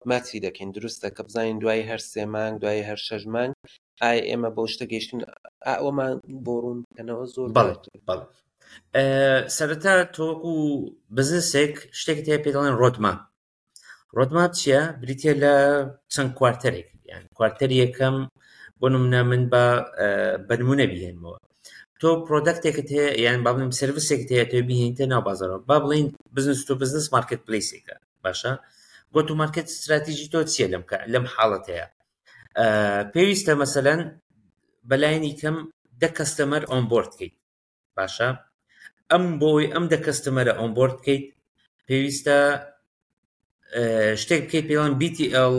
ماچی دەکەین. دروستە کە بزانین دوای هەر سێ مانگ دوای هەر شەش مانگ ئایا ئێمە بەو شتە گەیشتین؟ ئەوەمان بۆ ڕوون بکەنەوە زۆر بەڵێ بەڵێ. سەرەتا تۆ وەکو بزنسێک شتێکت هەیە پێ دەڵێن roadmap. roadmap چییە؟ بریتە لە چەند quarter ێک، یان quarter ی یەکەم بۆ نمونە من بە بە نمونە بهێنمەوە. تۆ product ێکت هەیە یان با بڵێم service ێکت هەیە تۆ بهێنیتە ناو بازارەوە، با بڵێین business to business marketplace ێکە. باشە go to market strategy تۆ چییە لەم حاڵەتەیە؟ پێویستە مەسەلەن بەلایەنی کەم دە customer onboard بکەیت. باشە ئەم بۆی ئەم دە customer ە onboard بکەیت پێویستە شتێک بکەیت پێڵەن BTL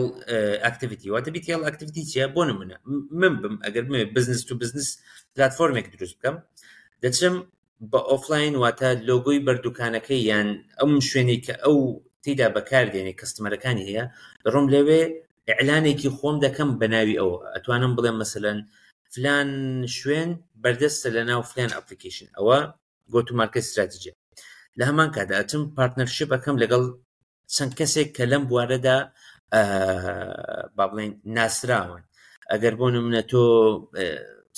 activity. واتە BTL activity چییە؟ بۆ نمونە من بم ئەگەر بمەوێت business to business platform ێک دروست بکەم، دەچم بە ئۆفلاین، واتە لۆگۆی بەردوکانەکەی یان ئەم شوێنێک کە ئەو تێدا بەکاردێنێ customer ەکانی هەیە، دەڕۆم لەوێ ئیعلانێکی خۆم دەکەم بە ناوی ئەوە. ئەتوانم بڵێم مەسەلەن فلان شوێن بەردەستە لە ناو فلان application. ئەوە go to market strategy. لە هەمان کاتدا ئەچم partnership ئەەکەم لەگەڵ چەند کەسێک کە لەم بوارەدا با بڵێن ناسراون. ئەگەر بۆ نمونە تۆ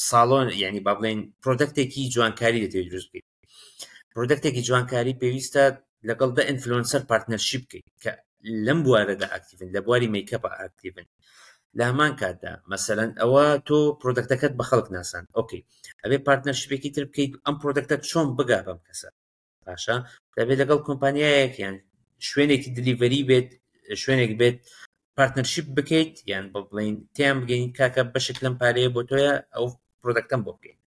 ساڵۆن یعنی با بڵێن product ێکی جوانکاری دەتەوێت دروست بکەیت، product ێکی جوانکاری پێویستە لەگەڵ دە influencer partnership بکەیت کە لەم بوارەدا active ن، لە بواری makeup active ن. لە هەمان کاتدا مەسەلەن ئەوە تۆ product ەکەت بە خەڵک ناسان okay ئەبێ partnership ێکی تر بکەیت ئەم product ە چۆن بگا بەم کەسە باشە دەبێت لەگەڵ کۆمپانیایەک یان شوێنێکی delivery بێت شوێنێک بێت partnership بکەیت یان بە بڵین تیان بگەین کاکە بەشێک لەم پارەیە بۆ تۆیە ئەو product ەم بۆ بکەین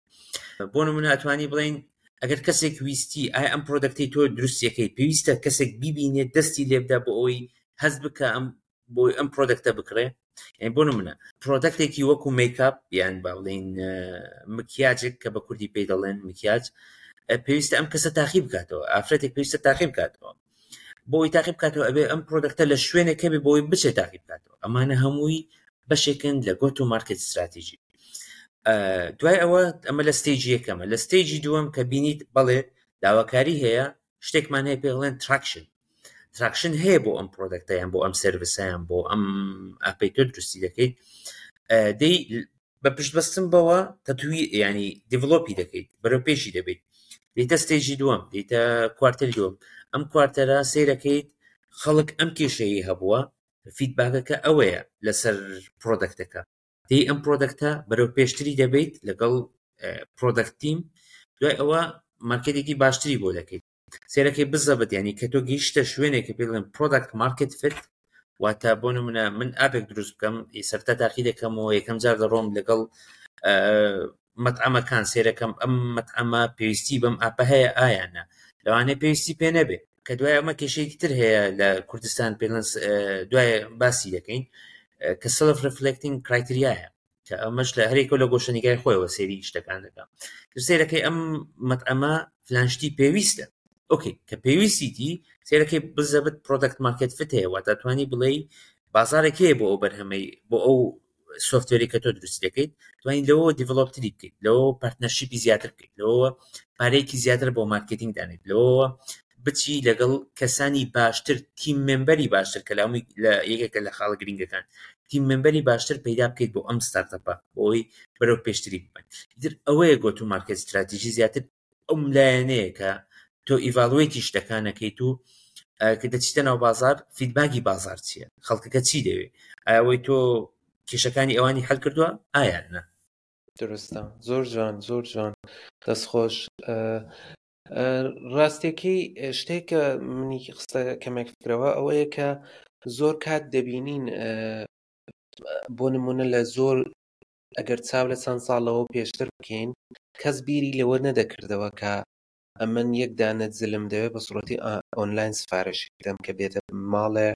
بۆ نمونە ئەتوانی بڵین ئەگەر کەسێک ویستی ئایا ئەم product ەی تۆ دروستیەکەی پێویستە کەسێک بیبینێت دەستی لێبدا بۆ ئەوەی هەست بکە ئەم بۆی ئەم product ە بکڕێ یعنی بۆ نمونە product ێکی وەکو مەیکاپ یان با بڵێین مکیاجێک کە بە کوردی پێی دەڵێن مکیاج پێویستە ئەم کەسە تاقی بکاتەوە ئافرەتێک پێویستە تاقی بکاتەوە بۆی تاقی بکاتەوە ئەبێ ئەم product ە لە شوێنێک هەبێ بۆی بچێت تاقی بکاتەوە ئەمانە هەمووی بەشێکن لە go to market strategy دوای ئەوە ئەمە لە stage ی یەکەمە لە stage ی دووەم کە بینیت بەڵێ داواکاری هەیە شتێکمان هەیە پێ دەڵێن traction traction هەیە بۆ ئەم product ە یان بۆ ئەم service ەیان بۆ ئەم app ەی تۆ دروستی دەکەیت دەی بە پشت بەستن بەوە تەتوی ینی develop ی دەکەیت بەرەو پێشی دەبیت دیتە stage ی دووەم دیتە quarter ی دووەم ئەم quarter ە سەیرەکەیت خەڵک ئەم کێشەیە هەبووە feedback ەکە ئەوەیە لەسەر product ەکە دەی ئەم product ە بەرەو پێشتری دەبیت لەگەڵ product team دوای ئەوە market ێکی باشتری بۆ دەکەیت سێرەکەی بزەبت ینی کە تۆ گەیشتە شوێنێک کە پێی دەڵێن product market fit واتە بۆ نمونە من app ێک دروست بکەم سەرتا تاقی دەکەمەوە یەکەم جار دەڕۆم لەگەڵ مەتعەمەکان سێرەکەم ئەم مەتعەمە پێویستی بەم app ە هەیە ئایانە لەوانەیە پێویستی پێ نەبێ کە دوای ئەمە کێشەیەکی تر هەیە لە کوردستان پێڵنس دوای باسی دەکەین کە self reflecting criteria یە کە ئەمەش لە هەرێکە لە گۆشەنیگای خۆیەوە سەیری شتەکان دەکا سەیرەکەی ئەم مەتعەمە فلان شتی پێویستە okay کە پێویستیتی سەیرەکەی بزەبت product market fit هەیە واتە توانی بڵێ بازارێک هەیە بۆ ئەو بەرهەمەی بۆ ئەو software ی کە تۆ دروستی دەکەیت توانین لەوە develop تری بکەیت لەوە partnership ی زیاتر بکەیت لەوە پارەیەکی زیاتر بۆ marketing دانێت لەوە بچی لەگەڵ کەسانی باشتر team member ی باشتر کە لامی لە یەکێکە لە خاڵە گرنگەکان team member ی باشتر پەیدا بکەیت بۆ ئەم startup ە بۆی بەرەو پێشتری ببن ئیتر ئەوەیە go to market strategy زیاتر ئەم لایەنەیە کە تۆ evaluate ی شتەکانەکەیت و کە دەچیتە ناو بازار feedback ی بازار چییە خەڵکەکە چی دەوێت ئەوەی تۆ کێشەکانی ئەوانی حل کردووە ئایا نا دروستە زۆر جوان زۆر جوان دەستخۆش ڕاستیەکەی شتێک کە منی خستە کەمێک فکرەوە ئەوەیە کە زۆر کات دەبینین بۆ نمونە لە زۆر ئەگەر چاو لە چەند ساڵەوە پێشتر بکەین کەس بیری لەوە نەدەکردەوە کە ئەمن یەک دانە جلم دەوێت بە سوڕەتی ئۆنلاین سفارشی بدەم کە بێتە ماڵێ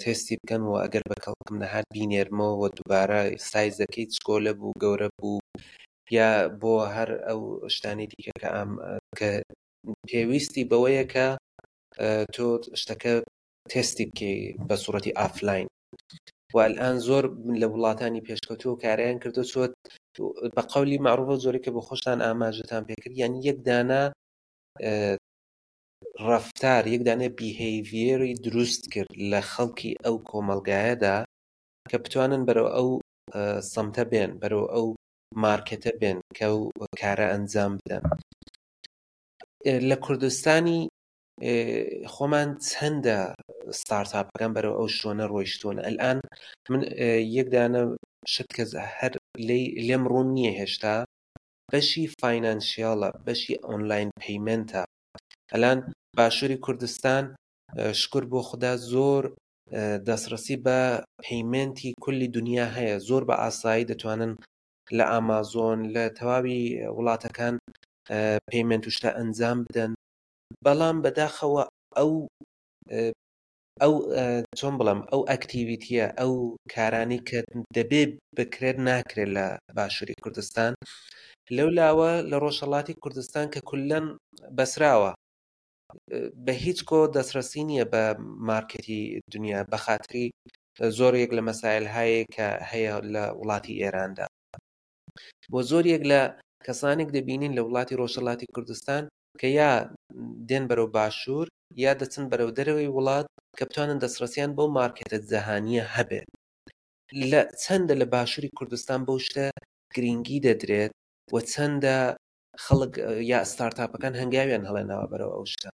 تێستی بکەن و ئەگەر بە کەڵکم نەهات بینێرمەوە و دووبارە سایزەکەی چکۆلە بوو گەورە بوو یا بۆ هەر ئەو شتانی دیکە کە ئەم کە پێویستی بەوەیە کە تۆ شتەکە تێستی بکەی بە سوڕەتی ئافلاین و الان زۆر لە وڵاتانی پێشکەوتوو کاریان کردو چۆت بە قەولی معروفە زۆری کە بە خۆشتان ئاماژەتان پێکرد یعنی یەک دانە ڕەفتار، یەک دانە behavior ی دروست کرد لە خەڵکی ئەو کۆمەڵگایەدا کە بتوانن بەرەو ئەو سەمتە بێن، بەرەو ئەو مارکێتە بێن کە ئەو کارە ئەنجام بدەن. لە کوردستانی خۆمان چەندە ستارتاپەکان بەرەو ئەو شوێنە ڕۆیشتوون ئەلان من یەک دانە شت کە هەر لێم ڕوون نییە هێشتا بەشی financial ە بەشی online payment ە ئەلان باشووری کوردستان شکر بۆ خودا زۆر دەستڕسی بە payment ی کولی دنیا هەیە زۆر بە ئاسایی دەتوانن لە ئامازۆن لە تەواوی وڵاتەکان payment و شتە ئەنجام بدەن بەڵام بەداخەوە ئەو ئەو چۆن بڵێم ئەو activity یە ئەو کارانی کە دەبێ بکرێت ناکرێت لە باشووری کوردستان لەو لاوە لە ڕۆژهڵاتی کوردستان کە کولەن بەسراوە بە هیچ کۆ دەستڕەسی نییە بە مارکێتی دنیا بە خاتری زۆر یەک لە مەسایل هەیە کە هەیە لە وڵاتی ئێراندا بۆ زۆر یەک لە کەسانێک دەبینین لە وڵاتی ڕۆژهڵاتی کوردستان کە یا دێن بەرەو باشوور یا دەچن بەرەو دەرەوەی وڵات کە بتوانن دەستڕەسیان بەو مارکێتە جەهانییە هەبێت. لە چەندە لە باشووری کوردستان بەو شتە گرینگی دەدرێت و چەندە خەڵک یا ستارتاپەکان هەنگاویان هەڵێناوە بەرەو ئەو شتە؟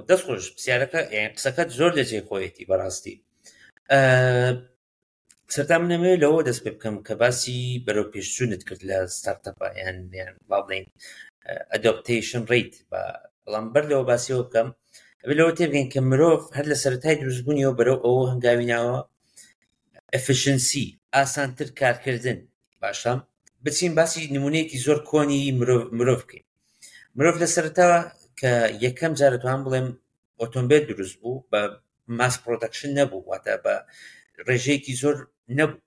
دەست خۆش پرسیارەکە یانی قسەکەت زۆر لە جێی خۆیەتی بەڕاستی. سەرتا من ئەمەوێت لەوە دەست پێ بکەم کە باسی بەرەو پێشچوونت کرد لە startup ە یان یان با بڵێین adaptation rate بەڵام بەر لەوە باسیەوە بکەم ئەبێ لەوە تێبگەین کە مرۆڤ هەر لە سەرەتای دروستبوونیەوە بەرەو ئەوە هەنگاوی ناوە efficiency ئاسانتر کارکردن باشە بچین باسی نمونەیەکی زۆر کۆنی مرۆڤ مرۆڤ بکەین مرۆڤ لە سەرەتا کە یەکەم جار دەتوانم بڵێم ئۆتۆمبیل دروست بوو بە mass production نەبوو واتە بە ڕێژەیەکی زۆر نەبوو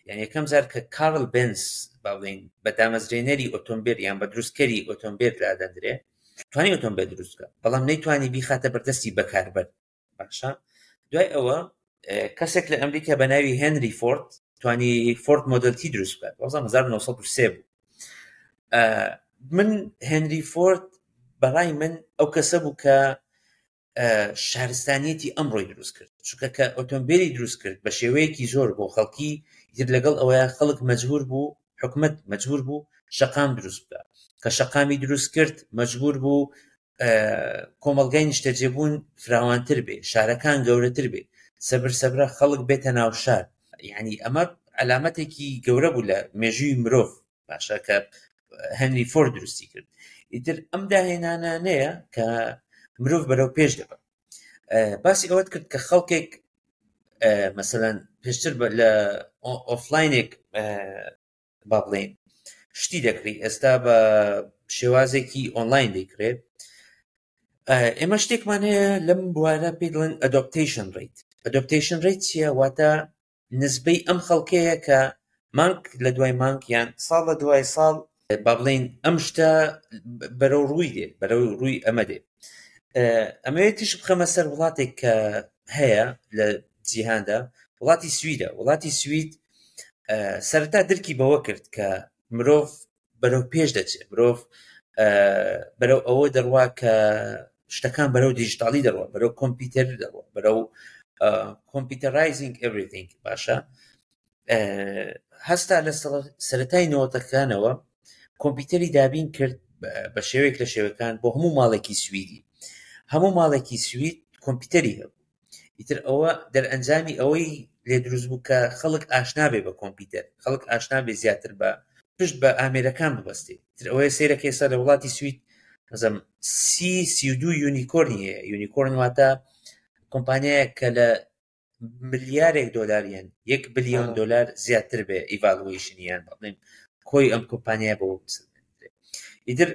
یان یەکەم جار کە کارل بنز با بڵێین بە دامەزرێنەری ئۆتۆمبیل یان بە دروستکەری ئۆتۆمبیل دادەندرێ توانی ئۆتۆمبیل دروست بکە بەڵام نەیتوانی بیخاتە بەردەستی بەکاربەر باشە دوای ئەوە کەسێک لە ئەمریکا بە ناوی هێنری فۆرد توانی فۆرد Model T دروست بکات وەزان 1903 بوو من هێنری فۆرد بەڕای من ئەو کەسە بوو کە شارستانیەتی ئەمڕۆی دروست کرد چونکە کە ئۆتۆمبیلی دروست کرد بە شێوەیەکی زۆر بۆ خەڵکی تر لەگەڵ ئەوەیە خەڵک مەجبور بوو حکومت مەجبور بوو شەقام دروست بکە کە شەقامی دروست کرد مەجبور بوو کۆمەڵگای نیشتەجێبوون فراوانتر بێ شارەکان گەورەتر بێ سەبر سەبرە خەڵک بێتە ناو شار یعنی ئەمە علامەتێکی گەورە بوو لە مێژووی مرۆڤ باشە کە هەنری فۆرد دروستی کرد ئیتر ئەم داهێنانانەیە کە مرۆڤ بەرەو پێش دەبە باسی ئەوەت کرد کە خەڵکێک مەسەلەن پێشتر لە offline ێک با بڵێین شتی دەکڕی ئێستا بە شێوازێکی ئۆنلاین دەیکرێت ئێمە شتێکمان هەیە لەم بوارە پێی دەڵێن adaptation rate adaptation rate چییە واتە نسبەی ئەم خەڵکەیە کە مانگ لە دوای مانگ یان ساڵ لە دوای ساڵ با بڵێین ئەم شتە بەرەو ڕووی دێ بەرەو ڕووی ئەمە دێ ئەمەوێت تیشک بخەمە سەر وڵاتێک کە هەیە لە جیهاندا وڵاتی سویدە وڵاتی سوید سەرەتا درکی بەوە کرد کە مرۆڤ بەرەو پێش دەچێت مرۆڤ بەرەو ئەوە دەڕوا کە شتەکان بەرەو دیجیتاڵی دەڕوە بەرەو کۆمپیوتەر دەڕوە بەرەو computerizing everything باشە هەستا لە سەرەتای نەوەتەکانەوە کۆمپیوتەری دابین کرد بە شێوەیەک لە شێوەکان بۆ هەموو ماڵێکی سویدی هەموو ماڵێکی سوید کۆمپیوتەری هەبوو ئیتر ئەوە دەرئەنجامی ئەوەی لێ دروست بوو کە خەڵک ئاشنا بێ بە کۆمپیوتەر خەڵک ئاشنا بێ زیاتر بە پشت بە ئامێرەکان ببەستێ ئیتر ئەوەیە سەیرەکە ئێستا لە وڵاتی سوید مەزەم سی 32 unicorn ی هەیە unicorn واتە کۆمپانیایەک کە لە ملیارێک دۆلار یان یەک بلیۆن دۆلار زیاتر بێ evaluation یان بڵێن کۆی ئەم کۆمپانیا بۆ ئیتر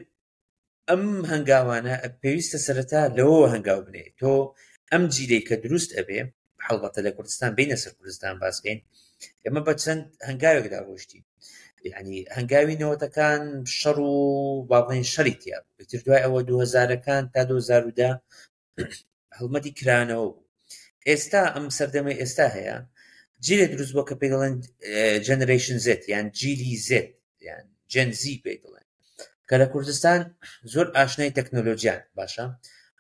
ئەم هەنگاوانە پێویستە سەرەتا لەوەوە هەنگاو بنێ تۆ ئەم جیلەی کە دروست ئەبێ هەڵبەتە لە کوردستان بینە سەر کوردستان باسکەین ئێمە بە چەند هەنگاوێکدا ڕۆشتین یعنی هەنگاوی نەوەتەکان شەڕ و با بڵێن شەڕی تیا بوو تر دوای ئەوە دوهزارەکان تا 2010 هەڵمەتی کرانەوە بوو ئێستا ئەم سەردەمەی ئێستا هەیە جیلێ دروست بووە کە پێی دەڵێن Generation Z یان جیلی زێت یان Gen Z پێی دەڵێن کە لە کوردستان زۆر ئاشنای تەکنۆلۆژیان باشە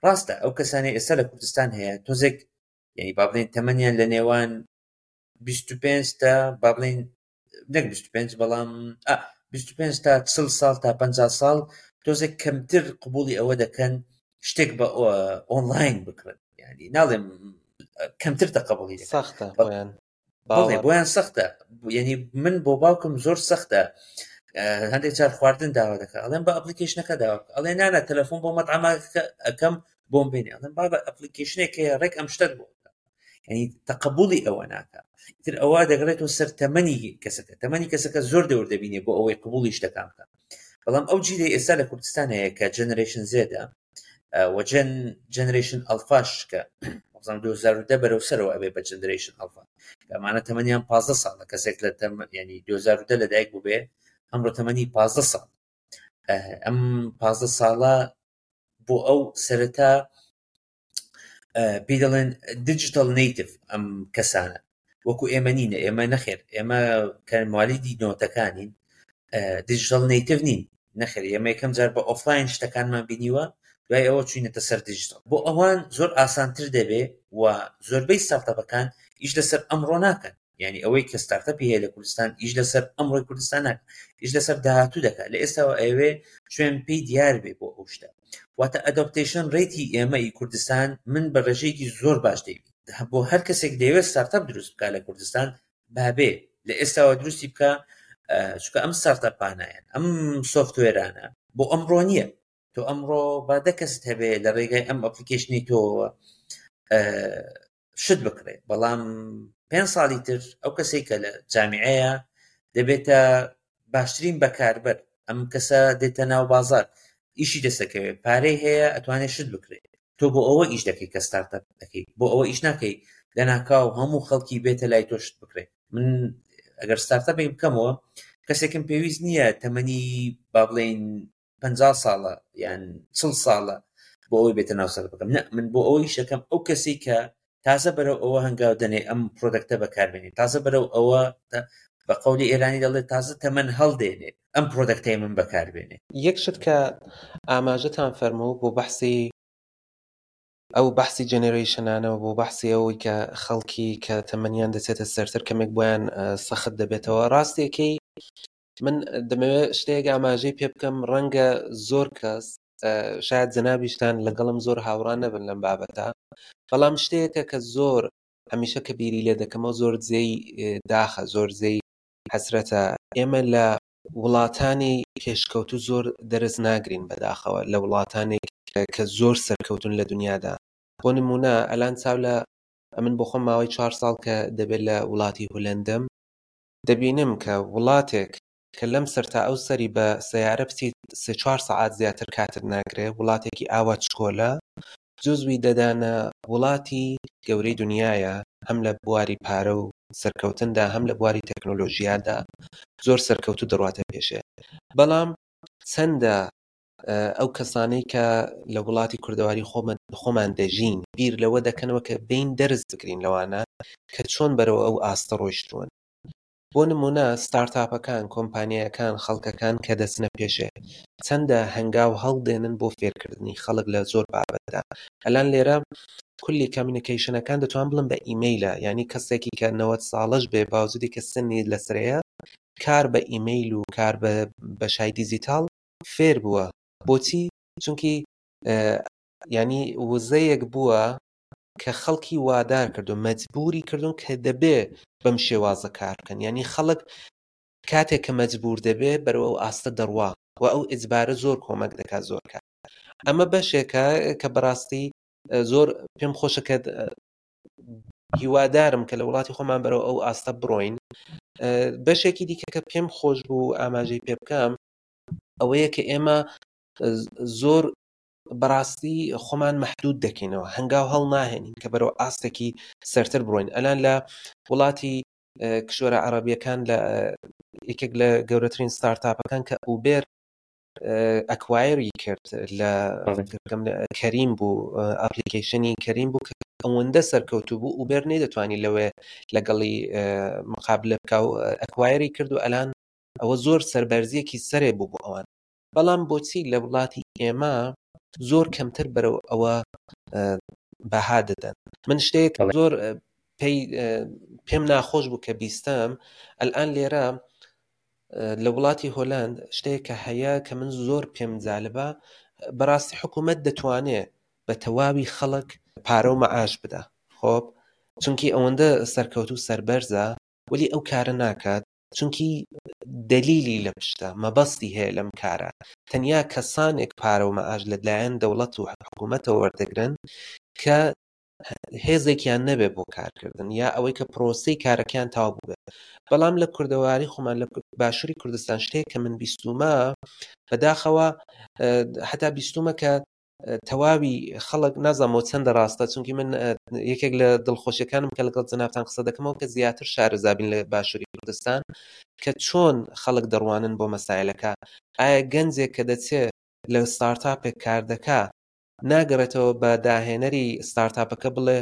ڕاستە ئەو کەسانی ئێستا لە کوردستان هەیە تۆزێک یعنی با بڵێن تەمەنیان لە نێوان 25 تا با بڵێن نەک 25 بەڵام 25 تا 40 ساڵ تا 50 ساڵ تۆزێک کەمتر قبولی ئەوە دەکەن شتێک بە ئۆنلاین بکڕن ینی ناڵێم کەمتر تەقبولی سەختە بۆیان بەڵێ بۆیان سەختە یعنی من بۆ باوکم زۆر سەختە هەندێک جار خواردن داوا دەکە ئەڵێن بە application ەکە داوا ئەڵێ نانە تەلەفۆن بۆ مەتعەمەکە ئەەکەم بۆم بێنێ ئەڵێن بابە application ێک هەیە ڕێک ئەم شتت بۆ یعنی تەقبولی ئەوە ناکە تر ئەوە دەگەڕێتەوە سەر تەمەنی کەسەکە تەمەنی کەسەکە زۆر دەور دەبینێ بۆ ئەوەی قبولی شتەکان بکە بەڵام ئەو جیلەی ئێستا لە کوردستان هەیە کە Generation Z ە و Gen Generation Alpha ش کە بزانم 2010 بەرەو سەرەوە ئەبێ بە Generation Alpha ئەمانە تەمەنیان 15 ساڵە کەسێک لە تەم ینی 2010 لەدایک بووبێ ئەمڕۆ تەمەنی 15 ساڵ ئەم 15 ساڵە بۆ ئەو سەرەتا پێی دەڵێن digital native ئەم کەسانە وەکو ئێمە نینە ئێمە نەخێر ئێمە کە موالیدی نۆتەکانین digital native نین نەخێر ئێمە یەکەم جار بە ئۆفلاین شتەکانمان بینیوە دوای ئەوە چوینەتە سەر دیجیتال بۆ ئەوان زۆر ئاسانتر دەبێ و زۆربەی startup ەکان ئیش لەسەر ئەمڕۆ ناکەن یعنی ئەوەی کە startup ی هەیە لە کوردستان ئیش لەسەر ئەمڕۆی کوردستان ناکە ئیش لەسەر داهاتوو دەکات لە ئێستاوە ئەوێ شوێن پێی دیار بێ بۆ ئەو شتە واتە adaptation rate ی ئێمە ئی کوردستان من بە ڕێژەیەکی زۆر باش دەیبین. بۆ هەر کەسێک دەیەوێت startup دروست بکە لە کوردستان بابێ لە ئێستاوە دروستی بکە چونکە ئەم startup انە یان ئەم software انە بۆ ئەمڕۆ نییە تۆ ئەمڕۆ با دە کەست هەبێ لە ڕێگای ئەم application ی تۆوە شت بکڕێ بەڵام پێ ساڵی تر ئەو کەسێک کە لە جامیعەیە دەبێتە باشترین بەکاربەر ئەم کەسە دێتە ناو بازار ئیشی دەستەکەوێت پارەی هەیە ئەتوانێت شت بکرێت تۆ بۆ ئەوە ئیش دەکەی کە ستارتەپ دەکەی بۆ ئەوە ئیش ناکەی لەناکاو هەموو خەڵکی بێتە لای تۆ شت بکرێت من ئەگەر startup ێک بکەمەوە کەسێکم پێویست نییە تەمەنی با بڵێین 50 ساڵە یان چڵ ساڵە بۆ ئەوەی بێتە ناو سەر بکەم نە من بۆ ئەوەی شەکەم ئەو کەسی کە تازە بەرەو ئەوە هەنگاو دەنێ ئەم product ە بەکاربێنێ تازە بەرەو ئەوە بە قەولی ئێرانی دەڵێت تازە تەمەن هەڵدێنێ ئەم product ەی من بەکاربێنێ. یەک شت کە ئاماژەتان فەرموو بۆ بەحسی ئەو بەحسی generation انەوە بۆ بەحسی ئەوەی کە خەڵکی کە تەمەنیان دەچێتە سەرتر کەمێک بۆیان سەخت دەبێتەوە ڕاستیەکەی من دەمەوێت شتێک ئاماژەی پێ بکەم ڕەنگە زۆر کەس شاید جەنابیشتان لەگەڵم زۆر هاوڕا نەبن لەم بابەتە بەڵام شتێکە کە زۆر هەمیشە کە بیری لێ دەکەمەوە زۆر جێی داخە زۆر جێی حەسرەتە ئێمە لە وڵاتانی پێشکەوتوو زۆر دەرس ناگرین بەداخەوە لە وڵاتانێک کە زۆر سەرکەوتون لە دنیادا بۆ نمونە ئەلان چاو لە ئەمن بۆ خۆم ماوەی چوار ساڵ کە دەبێت لە وڵاتی هولەندەم دەبینم کە وڵاتێک کە لەم سەر تا ئەو سەری بە سەیارە بچیت سێ چوار سەعات زیاتر کاتت ناگرێ وڵاتێکی ئاوا چکۆلە جزوی دەدانە وڵاتی گەورەی دنیایە هەم لە بواری پارە و سەرکەوتندا هەم لە بواری تەکنۆلۆژیادا زۆر سەرکەوتو دەڕواتە پێشێ بەڵام چەندە ئەو کەسانەی کە لە وڵاتی کوردەواری خۆمان دەژین بیر لەوە دەکەنەوە کە بین دەرس بگرین لەوانە کە چۆن بەرەوە ئەو ئاستە ڕۆیشتوون بۆ نموونە ستارتاپەکان، کۆمپانیایەکان، خەڵکەکان کە دەچنە پێشێ چەندە هەنگاو هەڵدێنن بۆ فێرکردنی خەڵک لە زۆر بابەتدا. ئەلان لێرە کولی communication ەکان دەتوان بڵێم بە ئیمەیلە، یانی کەسێکی کە 90 ساڵەش بێ باوجودی کە سنی لەسەرەیە کار بە ئیمەیل و کار بە بەشای دیجیتاڵ فێر بووە. بۆچی؟ چونکی یانی وزەیەک بووە کە خەڵکی وادار کردو مەجبوری کردون کە دەبێ بەم شێوازە کار بکەن یعنی خەڵک کاتێک کە مەجبور دەبێ بەرەو ئەو ئاستە دەڕوا و ئەو ئیجبارە زۆر کۆمەک دەکات زۆر کات ئەمە بەشێکە کە بەڕاستی زۆر پێم خۆشە کە هیوادارم کە لە وڵاتی خۆمان بەرەو ئەو ئاستە بڕۆین بەشێکی دیکە کە پێم خۆش بوو ئاماژەی پێ بکەم ئەوەیە کە ئێمە زۆر بەڕاستی خۆمان مەحدود دەکەینەوە هەنگاو هەڵناهێنین کە بەرەو ئاستێکی سەرتر بڕۆین ئەلان لە وڵاتی کشوەرە عەرەبیەکان لە یەکێک لە گەورەترین ستارتاپەکان کە ئوبێر acquire ی کرد لە کەریم بوو application ی کەریم بوو کە ئەوەندە سەرکەوتوو بوو ئوبێر نەیدەتوانی لەوێ لەگەڵی مقابلە بکە و acquire ی کرد و ئەلان ئەوە زۆر سەربەرزیەکی سەرێ بوو بۆ ئەوان بەڵام بۆچی لە وڵاتی ئێمە زۆر کەمتر بەرەو ئەوە بەها دەدەن من شتێک زۆر پێی پێم ناخۆش بوو کە بیستم ئەلان لێرە لە وڵاتی هۆلند شتێک کە هەیە کە من زۆر پێم جالبە بەڕاستی حکوومەت دەتوانێت بە تەواوی خەڵک پارە و مەعاش بدا خۆب چونکی ئەوەندە سەرکەوت و سەربەرزە وەلی ئەو کارە ناکات چونکی دەلیلی لە پشتە، مەبەستی هەیە لەم کارە، تەنیا کەسانێک پارە و مەعاش لە لایەن دەوڵەت و حکوومەتەوە وەردەگرن کە هێزێکیان نەبێ بۆ کارکردن یا ئەوەی کە پرۆسەی کارەکەیان تەواو بووبێت. بەڵام لە کوردەواری خۆمان لە باشووری کوردستان شتێک کە من بیستوومە بەداخەوە هەتا بیستوومە کە تەواوی خەڵک نازانمەوە چەندە ڕاستە چونکی من یەکێک لە دڵخۆشیەکانم کە لەگەڵ جەنابتان قسە دەکەمەوە کە زیاتر شارەزابین لە باشووری کوردستان کە چۆن خەڵک دەڕوانن بۆ مەسایلەکە ئایا گەنجێک کە دەچێ لە ستارتاپێک کار دەکا ناگەڕێتەوە بە داهێنەری ستارتاپەکە بڵێ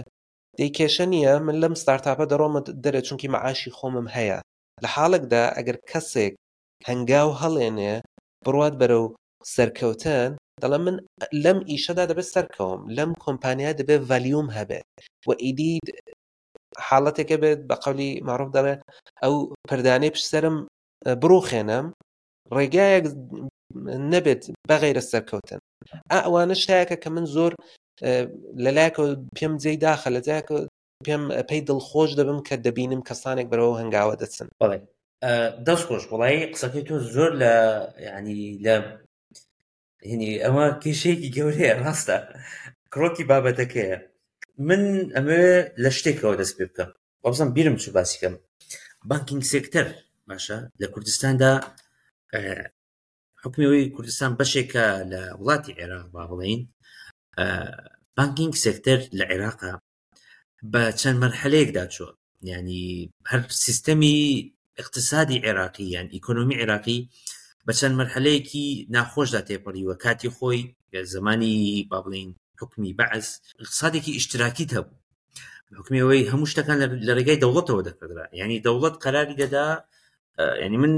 دەی کێشە نییە من لەم ستارتاپە دەڕۆمە دەرێ چونکی مەعاشی خۆمم هەیە لە حاڵێکدا ئەگەر کەسێک هەنگاو هەڵێنێ بڕوات بەرەو سەرکەوتن دەڵێم من لەم ئیشەدا دەبێت سەرکەوم لەم کۆمپانیا دەبێت value م هەبێت و ئیدی حاڵەتێکە بێت بە قەولی معروف دەڵێ ئەو پردانەی پشت سەرم بڕوخێنم ڕێگایەک نەبێت بەغیرە سەرکەوتن ئەوانە شتایەکە کە من زۆر لەلایەکەوە پێم جێی داخە لە جایەکە. پێم پێی دڵخۆش دەبم کە دەبینم کەسانێک بەرەوە هەنگاوە دەچن. بەڵێ دەست خۆش وڵی قسەکەی تۆ زۆر لە ینی لە هینی ئەمە کێشەیەکی گەورەیە ڕاستە کڕۆکی بابەتەکەیە من ئەمەوێ لە شتێکەوە دەست پێ بکەم وابزانم بیرم چوو باسی کەم banking sector باشە لە کوردستاندا حکومی ئەوەی کوردستان بەشێکە لە وڵاتی عێراق با بڵین banking sector لە عێراقا بە چەند مەرحەلەیەکدا چووە یعنی هەر سیستەمی اقتصادی عێراقی یان ئیکۆنۆمی عێراقی بە چەند مەرحەلەیەکی ناخۆشدا تێپەڕیوە کاتی خۆی زمانی با بڵین حکومی بەعس اقتصادێکی ئیشتراکیت هەبوو حکومی ئەوەی هەموو شتەکان لە ڕێگای دەوڵەتەوە دەکردرا یعنی دەوڵەت قەراری دەدا یعنی من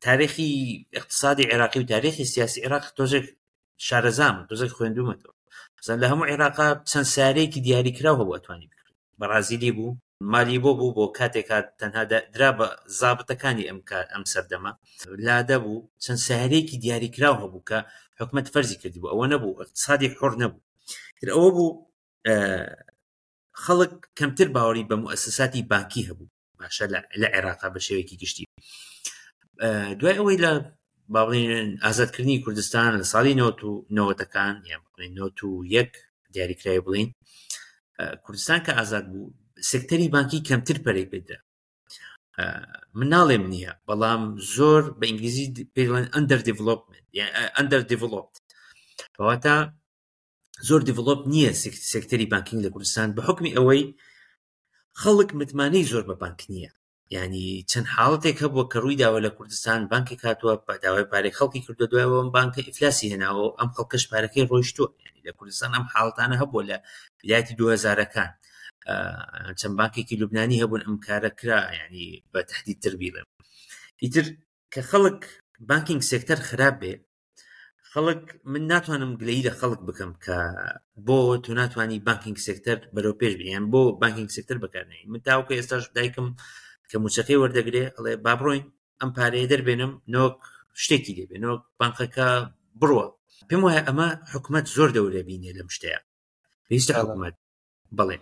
تاریخی اقتصادی عێراقی و تاریخی سیاسی عێراق تۆزێک شارەزام تۆزێک خوێندومەتەوە مثلا لە هەموو عێراقا چەند سارەیەکی دیاریکراو هەبوو ئەتوانی بکڕی بەڕازیلی بوو مالیبۆ بوو بۆ کاتێک هات تەنها درا بە زابتەکانی ئەم کات ئەم سەردەمە لادە بوو چەند سارەیەکی دیاریکراو هەبوو کە حکومت فەرزی کردبوو ئەوە نەبوو اقتصادی حڕ نەبوو تر ئەوە بوو خەڵک کەمتر باوەڕی بە موئەسەساتی بانکی هەبوو باشە لە عێراقا بە شێوەیەکی گشتی دوای ئەوەی لە با بڵێین ئازادکردنی کوردستان لە ساڵی نەوەت و نەوەتەکان یان بڵێین نەوەت و یەک دیاریکراوی بڵین کوردستان کە ئازاد بوو سێکتەری بانکی کەمتر پەرەی پێدرا من ناڵێم نییە بەڵام زۆر بە ئینگلیزی پێی دەڵێن under development under developed کەواتە زۆر develop نییە سێکتەری banking لە کوردستان بە حکمی ئەوەی خەڵک متمانەی زۆر بە بانک نییە ینی چەند حاڵەتێک هەبووە کە ڕووی داوە لە کوردستان بانکێک هاتووە داوای پارەی خەڵکی کردو دوایەوە ئەم بانکە ئیفلاسی هێناوە ئەم خەڵکەش پارەکەی ڕۆیشتووە ینی لە کوردستان ئەم حاڵەتانە هەبووە لە بدایەتی 2000ەکان چەند بانکێکی لوبنانی هەبوون ئەم کارە کرا ینی بە تهدید تر بیڵێم ئیتر کە خەڵک banking sector خراپ بێ خەڵک من ناتوانم گلەیی لە خەڵک بکەم کە بۆ تۆ ناتوانانی banking sector بەرەو پێش بیان بۆ banking sector بەکارنێ من تاوکە ئێستاش دایکم کە موچەکەی وەردەگرێ ئەڵێ با بڕۆین ئەم پارەیە دەربێنم نۆک شتێکی لێبێ نۆک بانقەکە بڕوە پێم وایە ئەمە حکومت زۆر دەورە بینێ لەم شتەیە پێویستە حکومت بەڵێ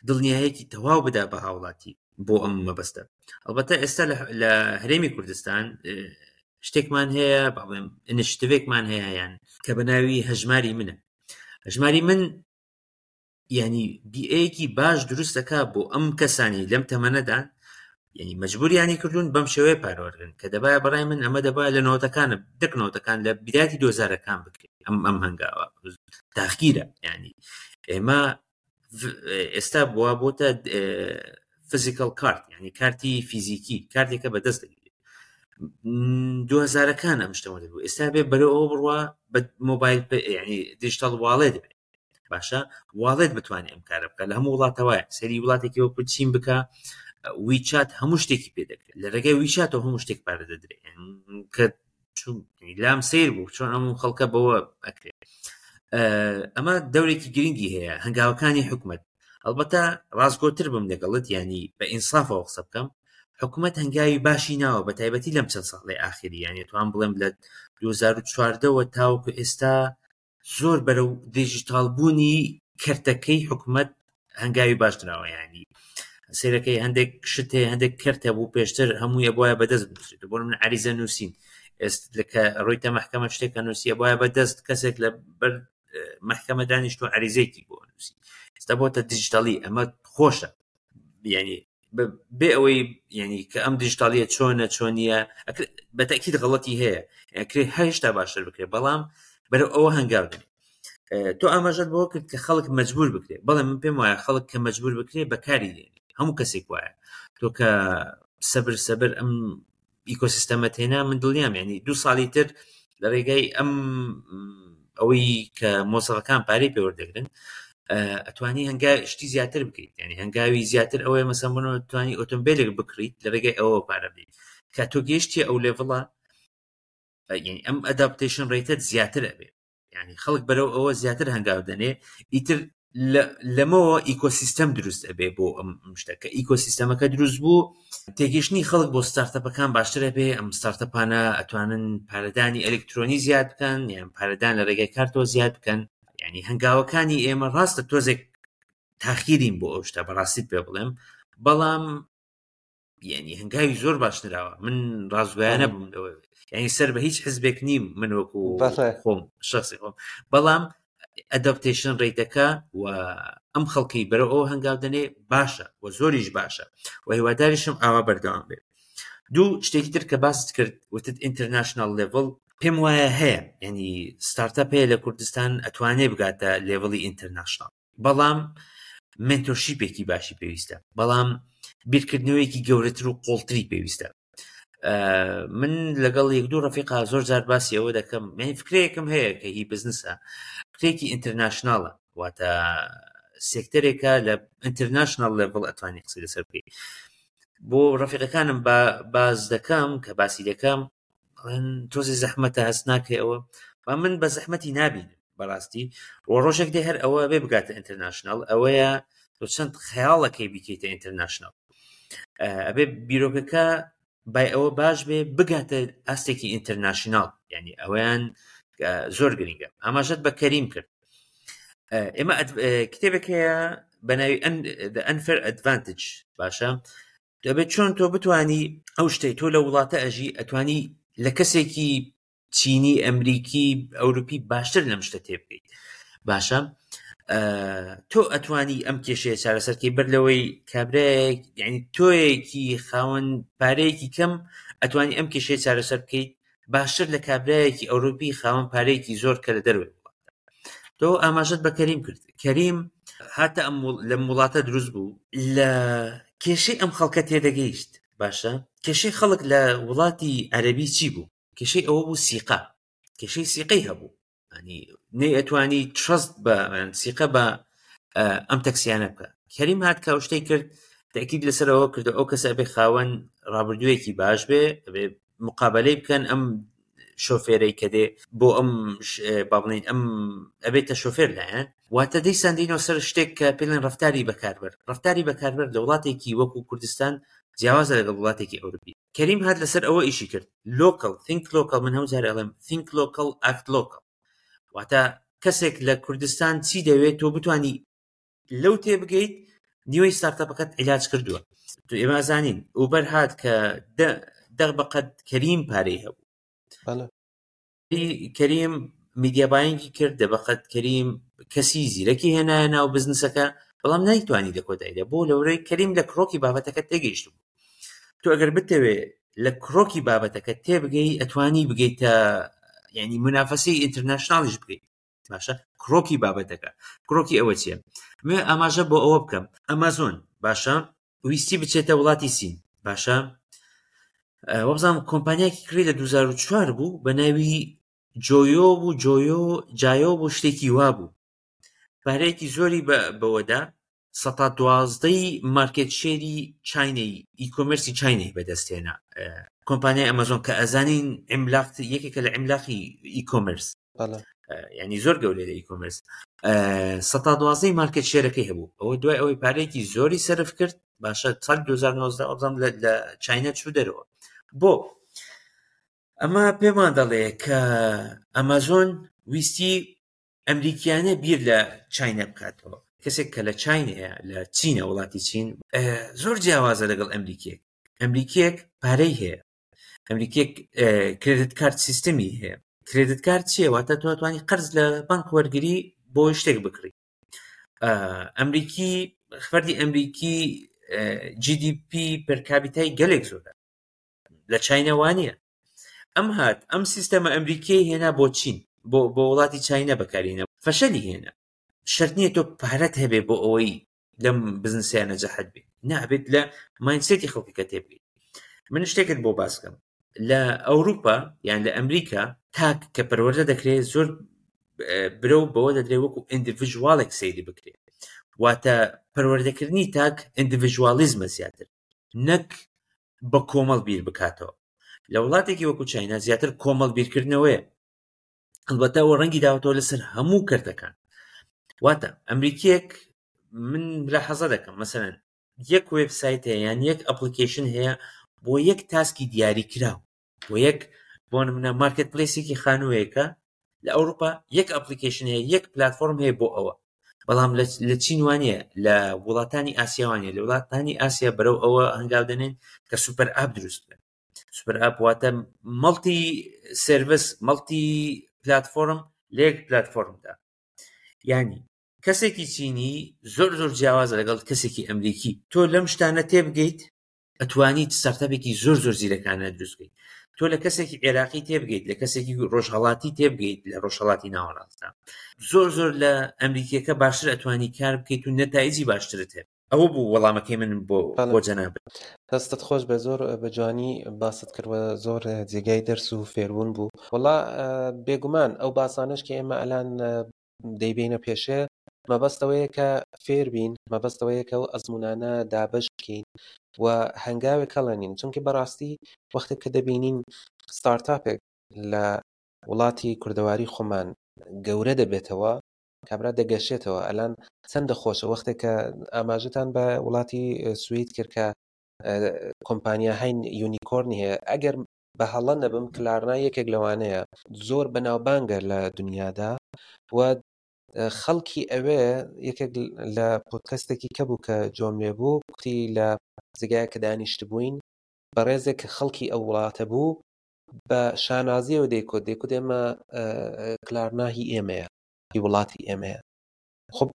دڵنیایەکی تەواو بدا بە هاوڵاتی بۆ ئەم مەبەستە ئەلبەتە ئێستا لە هەرێمی کوردستان شتێکمان هەیە باڵێم initiative ێکمان هەیە یان کە بە ناوی هەژماری منە هەژماری من ینی بیەکی باش دروست دەکا بۆ ئەم کەسانی لەم تەمەنەدان یعنی مەجبوریانی کردوون بەم شێوەیە پارەوەرگن کە دەبایە بەڕای من ئەمە دەبا لە نەوەتەکانە دەک نەوەتەکان لە بداتی دۆزارەکان بکرێت ئەم ئەم هەنگاوە تاخیرە ینی ئێمە ئێستا بووە بۆتە physical card ینی کارتی فیزیکی کارتێکە بەدەست دەگیرێت دوهزارەکان ئەم شتەوە دەبوو ئێستا بێ بەرەو ئەوە بڕوا بە مۆبایل ینی digital wallet بێ باشە wallet بتوانێت ئەم کارە بکە لە هەموو وڵاتەوە سەری وڵاتێکی وەکو چین بکە WeChat هەموو شتێکی پێ دەکرێت لە ڕێگەی WeChat ەوە هەموو شتێک پارە دەدرێت کە لام سیر بوو چۆن ئەم خەڵکە بەوە ئەکرێت ئەمە دەورێکی گرنگی هەیە هەنگاوەکانی حکومت ئەلبەتە ڕاستگۆتر بم لەگەڵت ینی بە ئینسافەوە قسە بکەم حکومت هەنگاوی باشی ناوە بە تایبەتی لەم چەند ساڵی ئاخری یانی توان بڵێم لە 2014ەوە تاوەکو ئێستا زۆر بەرەو دیجیتاڵ بوونی کەرتەکەی حکومت هەنگاوی باش نراوە ینی سێرەکەی هەندێک شت هەیە هەندێک کەرت هەبوو پێشتر هەموویە بۆیە بەدەست بنووسێت بۆ من عریزە نووسین ئێست کە ڕۆیتە محکەمە شتێکە نووسیە بۆیە بەدەست کەسێک لە بەر محکەمە دانیشت و عریزەیەکی بۆ نووسی ئێستا بۆتە دیجیتاڵی ئەمە خۆشە یعنی بێ ئەوەی یعنی کە ئەم دیجیتاڵیە چۆنە چۆنیە بە تەکیید غەڵەتی هەیە ئەکرێ هێشتا باشتر بکرێت بەڵام بەرەو ئەوە هەنگاو دەنێ تۆ ئاماژەت بۆ کرد کە خەڵک مەجبور بکرێت بەڵێ من پێم وایە خەڵک کە مەجبور بکرێت بەکاری دێنێ هەموو کەسێک وایە تۆ کە سەبر سەبر ئەم ئیکۆسیستەمەت هێنا من دڵنیام ینی دوو ساڵی تر لە ڕێگای ئەم ئەوەی کە مۆسەفەکان پارەی پێوەردەگرن ئەتوانی هەنگا شتی زیاتر بکەیت ینی هەنگاوی زیاتر ئەوەیە مەسەن بۆ توانی ئۆتۆمبیلێک بکڕیت لە ڕێگای ئەوە پارە بدەیت کە تۆ گەیشتی ئەو level ە یعنی ئەم adaptation rate ە زیاتر ئەبێ یعنی خەڵک بەرەو ئەوە زیاتر هەنگاو دەنێ ئیتر لەمەوە ئیکۆسیستەم دروست ئەبێ بۆ ئەم شتە کە ئیکۆسیستەمەکە دروست بوو تێگەشتنی خەڵک بۆ startup ەکان باشترە بێ ئەم startup انە ئەتوانن پارەدانی ئەلکترۆنی زیاد بکەن یان پارەدان لە ڕێگای کارتەوە زیاد بکەن یعنی هەنگاوەکانی ئێمە ڕاستە تۆزێک تاخیرین بۆ ئەو شتە بەڕاستیت پێ بڵێم بەڵام یعنی هەنگاوی زۆر باش نراوە من ڕاستگویانە بووم لەوە یعنی سەر بە هیچ حزبێک نیم من وەکو خۆم شخصی خۆم بەڵام adaptation rate ەکە و ئەم خەڵکی بەرەو ئەو هەنگاو دەنێ باشە و زۆریش باشە و هیواداریشم ئاوا بەردەوام بێت دوو شتێکی تر کە باست کرد وتت international level پێم وایە هەیە ینی ستارتەپ هەیە لە کوردستان ئەتوانێ بگاتە level ی international بەڵام mentorship ێکی باشی پێویستە بەڵام بیرکردنەوەیەکی گەورەتر و قۆڵتری پێویستە من لەگەڵ یەک دوو ڕەفیقا زۆر جار باسی ئەوە دەکەم من فکرەیەکم هەیە کە هی بزنسە فکرێکی international ە واتە سێکتەرێکە لە international level ئەتوانی قسەی لەسەر بکەیت بۆ ڕەفیقەکانم باز دەکەم کە باسی دەکەم ئەڵێن تۆزی زەحمەتە هەست ناکەی ئەوە با من بە زەحمەتی نابینم بەڕاستی و ڕۆژێک دێ هەر ئەوە بێ بگاتە international ئەوەیە تۆ چەند خەیاڵەکەی بیکەیتە international ئەبێ بیرۆکەکە بای ئەوە باش بێ بگاتە ئاستێکی international یعنی ئەویان زۆر گرنگە ئاماژەت بە کەریم کرد ئێمە کتێبێک هەیە بە ناوی Unfair Advantage باشە دەبێت چۆن تۆ بتانی ئەو شتەی تۆ لە وڵاتە ئەژی ئەتوانی لە کەسێکی چینی ئەمریکی ئەوروپی باشتر لەم شتە تێبگەیت باشە تۆ ئەتوانی ئەم کێشەیە چارەسەرکەی بەر لەوەی کابرایەک یعنی تۆیەکی خاوەن پارەیەکی کەم ئەتوانی ئەم کێشەیە چارەسەر بکەیت باشتر لە کابرایەکی ئەوروپی خاوەن پارەیەکی زۆر کە لە دەروێت تۆ ئاماژەت بە کەریم کرد کەریم هاتە ئەم لەم وڵاتە دروست بوو لە کێشەی ئەم خەڵکە تێدەگەیشت باشە کێشەی خەڵک لە وڵاتی عەربی چی بوو کێشەی ئەوە بوو سیقە کێشەی سیقەی هەبوو ینی نەی ئەتوانی trust بە سیقە بە ئەم تەکسیانە بکە کەریم هات کە شتەی کرد تاکید لەسەرەوە کردو ئەو کەسە بێ خاوەن ڕابردوویەکی باش بێ ئەبێ مقابلەی بکەن ئەم شۆفێرەی کە دێ بۆ ئەم با بڵێین ئەم ئەبێتە شۆفێر لایەن واتە دیسان دینەوە سەر شتێک کە پێڵێن ڕفتاری بەکاربەر ڕفتاری بەکاربەر لە وڵاتێکی وەکو کوردستان جیاوازە لەگەڵ وڵاتێکی ئەوروپی کەریم هات لەسەر ئەوە ئیشی کرد local think local من هەموو جارێ ئەڵێم think local act local واتە کەسێک لە کوردستان چی دەوێت تۆ بتانی لەو تێبگەیت نیوەی ستارتەپەکەت عیلاج کردووە تو ئێمە زانین ئوبەر هات کە دەغ بەقەد کەریم پارەی هەبوو کەریم media buying ی کرد دە بەقەد کەریم کەسی زیرەکی هێنایە ناو بزنسەکە بەڵام نایتوانی لە کۆتاییدا بۆ لەورەی کەریم لە کرۆکی بابەتەکە تێگەیشت بوو تۆ ئەگەر بتەوێ لە کرۆکی بابەتەکە تێبگەی ئەتوانی بگەیتە یعنی منافەسی international یش بکەیت باشە کرۆکی بابەتەکە کرۆکی ئەوە چییە مێ ئاماژە بۆ ئەوە بکەم ئەمازۆن باشە ویستی بچێتە وڵاتی سین باشە وەبزانام کۆمپانیاکی کڕی لە 2004 بوو بە ناوی جۆیۆ بوو جۆیۆ جایۆ بوو شتێکی وا بوو پارەیەکی زۆری بەوەدا سەتا دوازدەی market share ی چینەی e-commerce ی چینەی بەدەستێنا کۆمپانیای ئەمەزۆن کە ئەزانین عملاق یەکێکە لە عملاقی e-commerce ینی زۆر گەورەی لە e-commerce سەتا دوازدەی market share ەکەی هەبوو ئەوە دوای ئەوەی پارێکی زۆری سەرف کرد باشە ساڵ 2019 ئەبزانم لە چینە چوو دەرەوە بۆ ئەمە پێمان دەڵێ کە ئەمازۆن ویستی ئەمریکیانە بیر لە چینە بکاتەوە کەسێک کە لە چینەیە لە چینە وڵاتی چین زۆر جیاوازە لەگەڵ ئەمریکیەک ئەمریکیەک پارەی هەیە ئەمریکیەک credit card system ی هەیە credit card چییە واتە تۆ توانی قەرز لە بانک وەرگری بۆ شتێک بکڕی ئەمریکی فەردی ئەمریکی GDP per capita ی گەلێک زۆرە لە چینە وانە ئەم هات ئەم سیستەمە ئەمریکیی هێنا بۆ چین بۆ بۆ وڵاتی چینە بەکارینە فەشەلی هێنا شەرت نییە تۆ پارەت هەبێ بۆ ئەوەی لەم بزنسیان نەجەحت بێ نابێت لە mindset ی خەڵکەکە تێبگەیت من شتێکت بۆ باسکەم لە ئەوروپا یان لە ئەمریکا تاک کە پەروەردە دەکرێت زۆر برەو بەوە دەدرێت وەکو individual ێک سەیری بکرێت واتە پەروەردەکردنی تاک individualism ە زیاتر نەک بە کۆمەڵ بیر بکاتەوە لە وڵاتێکی وەکو چاینا زیاتر کۆمەڵ بیرکردنەوەیە ئەلبەتە ئەوە ڕەنگی داوەتەوە لەسەر هەموو کەرتەکان واتە ئەمریکیەک من لە حەزە دەکەم مەسەرەن یەک وێبسایت هەیە یان یەک application هەیە بۆ یەک task ی دیاری کراو بۆ یەک بۆ نمونە marketplace ێکی خانوویەکە لە ئەوروپا یەک application هەیە یەک پلتفۆرم هەیە بۆ ئەوە. بەڵام لە چین وانە، لە وڵاتانی ئاسیا وانە. لە وڵاتانی ئاسیا بەرەو ئەوە هەنگاو دەنێن کە super app دروست بکەن. super app واتە multi service، multi platform لە یەک پلاتفۆرمدا. یعنی کەسێکی چینی زۆر زۆر جیاوازە لەگەڵ کەسێکی ئەمریکی. تۆ لەم شتانە تێبگەیت ئەتوانیت startup ێکی زۆر زۆر زیرەکانە دروست بکەیت. تۆ لە کەسێکی عێراقی تێبگەیت، لە کەسێکی ڕۆژهەڵاتی تێبگەیت، لە ڕۆژهەڵاتی ناوەڕاستدا زۆر زۆر لە ئەمریکیەکە باشتر ئەتوانی کار بکەیت و نەتایجی باشترت هەبێت. ئەوە بوو وەڵامەکەی من بۆ جەنابت. دەستت خۆش بێ، زۆر بە جوانی باست کرد و زۆر جێگای دەرس و فێربوون بوو. وەڵا بێگومان ئەو باسانەش کە ئێمە ئەلان دەیبینە پێشێ مەبەستەوەیە کە فێربین، مەبەستەوەیە کە ئەو ئەزمونانە دابەش بکەین و هەنگاوێک هەڵێنین. چونکە بەڕاستی وەختێک کە دەبینین ستارتاپێک لە وڵاتی کوردەواری خۆمان گەورە دەبێتەوە، کابرا دەگەشێتەوە. ئەلان چەندە خۆشە وەختێک کە ئاماژەتان بە وڵاتی سوید کرد کە کۆمپانیا هەین یونیکۆرنی هەیە، ئەگەر بە هەڵە نەبم کلارنا یەکێک لەوانەیە زۆر بەناوبانگە لە دنیادا و خەڵکی ئەوێ. یەکێک لە پۆدکەستێکی کە بوو کە جۆم لێ بوو کوتی لە جێگایە کە دانیشتبووین بەڕێزێک کە خەڵکی ئەو وڵاتە بوو بە شانازیەوە دەیکوت، دەیکوت ئێمە کلارنا هی ئێمەیە، هی وڵاتی ئێمەیە. خب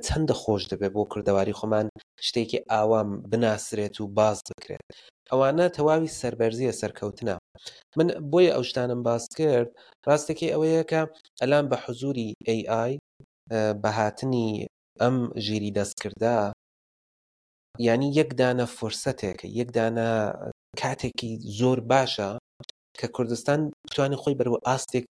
چەندە خۆش دەبێت بۆ کوردەواری خۆمان شتێکی ئاوام بناسرێت و باس بکرێت. ئەوانە تەواوی سەربەرزیە، سەرکەوتنە. من بۆیە ئەو شتانم باس کرد. ڕاستێکی ئەوەیە کە ئەلان بە حزوری AI، بە هاتنی ئەم ژیری دەستکردە، یعنی یەک دانە فرسەتێکە، یەک دانە کاتێکی زۆر باشە کە کوردستان بتوانێت خۆی بەرەو ئاستێک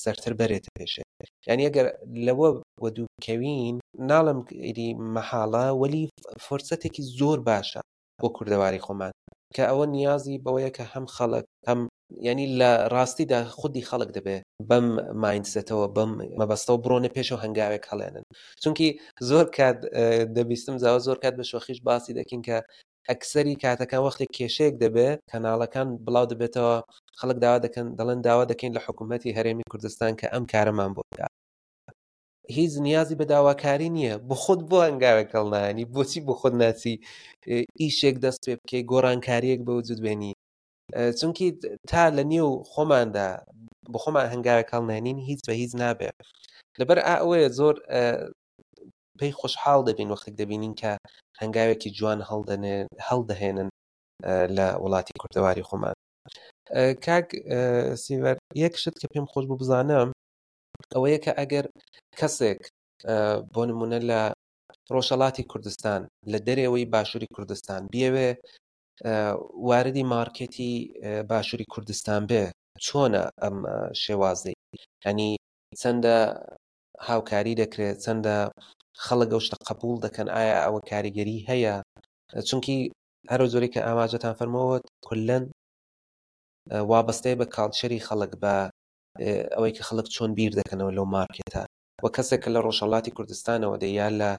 سەرتر بەرێتە پێشێ. یعنی ئەگەر لەوە وەدوو بکەوین، ناڵم ئیدی مەحاڵە، وەلی فرسەتێکی زۆر باشە بۆ کوردەواری خۆمان کە ئەوە نیازی بەوەیە کە هەم خەڵک هەم یعنی لە ڕاستیدا خودی خەڵک دەبێ بەم مایندسێتەوە، بەم مەبەستەوە بڕۆنە پێشەوە، هەنگاوێک هەڵێنن. چونکی زۆر کات دەبیستم زاوە، زۆر کات بە شۆخیش باسی دەکەین کە ئەکسەری کاتەکان وەختێک کێشەیەک دەبێ کەناڵەکان بڵاو دەبێتەوە، خەڵک داوا دەکەن، دەڵێن داوا دەکەین لە حکوومەتی هەرێمی کوردستان کە ئەم کارەمان بۆ بکات. هیچ نیازی بە داواکاری نییە. بۆ خۆت بۆ هەنگاوێک هەڵنانی، بۆچی بۆ خۆت ناچی ئیشێک دەست پێ بکەی، گۆڕانکاریەک بە وجود بێنی؟ چونکی تا لە نێو خۆماندا بۆ خۆمان هەنگاوێک هەڵنێنین هیچ بە هیچ نابێ. لەبەر ئەوەیە زۆر پێی خۆشحاڵ دەبین وەختێک دەبینین کە هەنگاوێکی جوان هەڵدەهێنن لە وڵاتی کوردەواری خۆمان. کاک سیڤەر، یەک شت کە پێم خۆش بوو بزانم ئەوەیە کە ئەگەر کەسێک بۆ نمونە لە ڕۆژهەڵاتی کوردستان، لە دەرەوەی باشووری کوردستان بیەوێ واردی مارکێتی باشووری کوردستان بێ، چۆنە ئەم شێوازەی؟ ینی چەندە هاوکاری دەکرێت، چەندە خەڵک ئەو شتە قبول دەکەن، ئایا ئەوە کاریگەری هەیە؟ چونکی هەرو زۆری کە ئاماژەتان فەرمەوە کلەن وابەستەیە بە کاڵچەری خەڵک، بە ئەوەی کە خەڵک چۆن بیر دەکەنەوە لەو مارکێتە. و کەسێک کە لە ڕۆژهەڵاتی کوردستانەوە دێ یا لە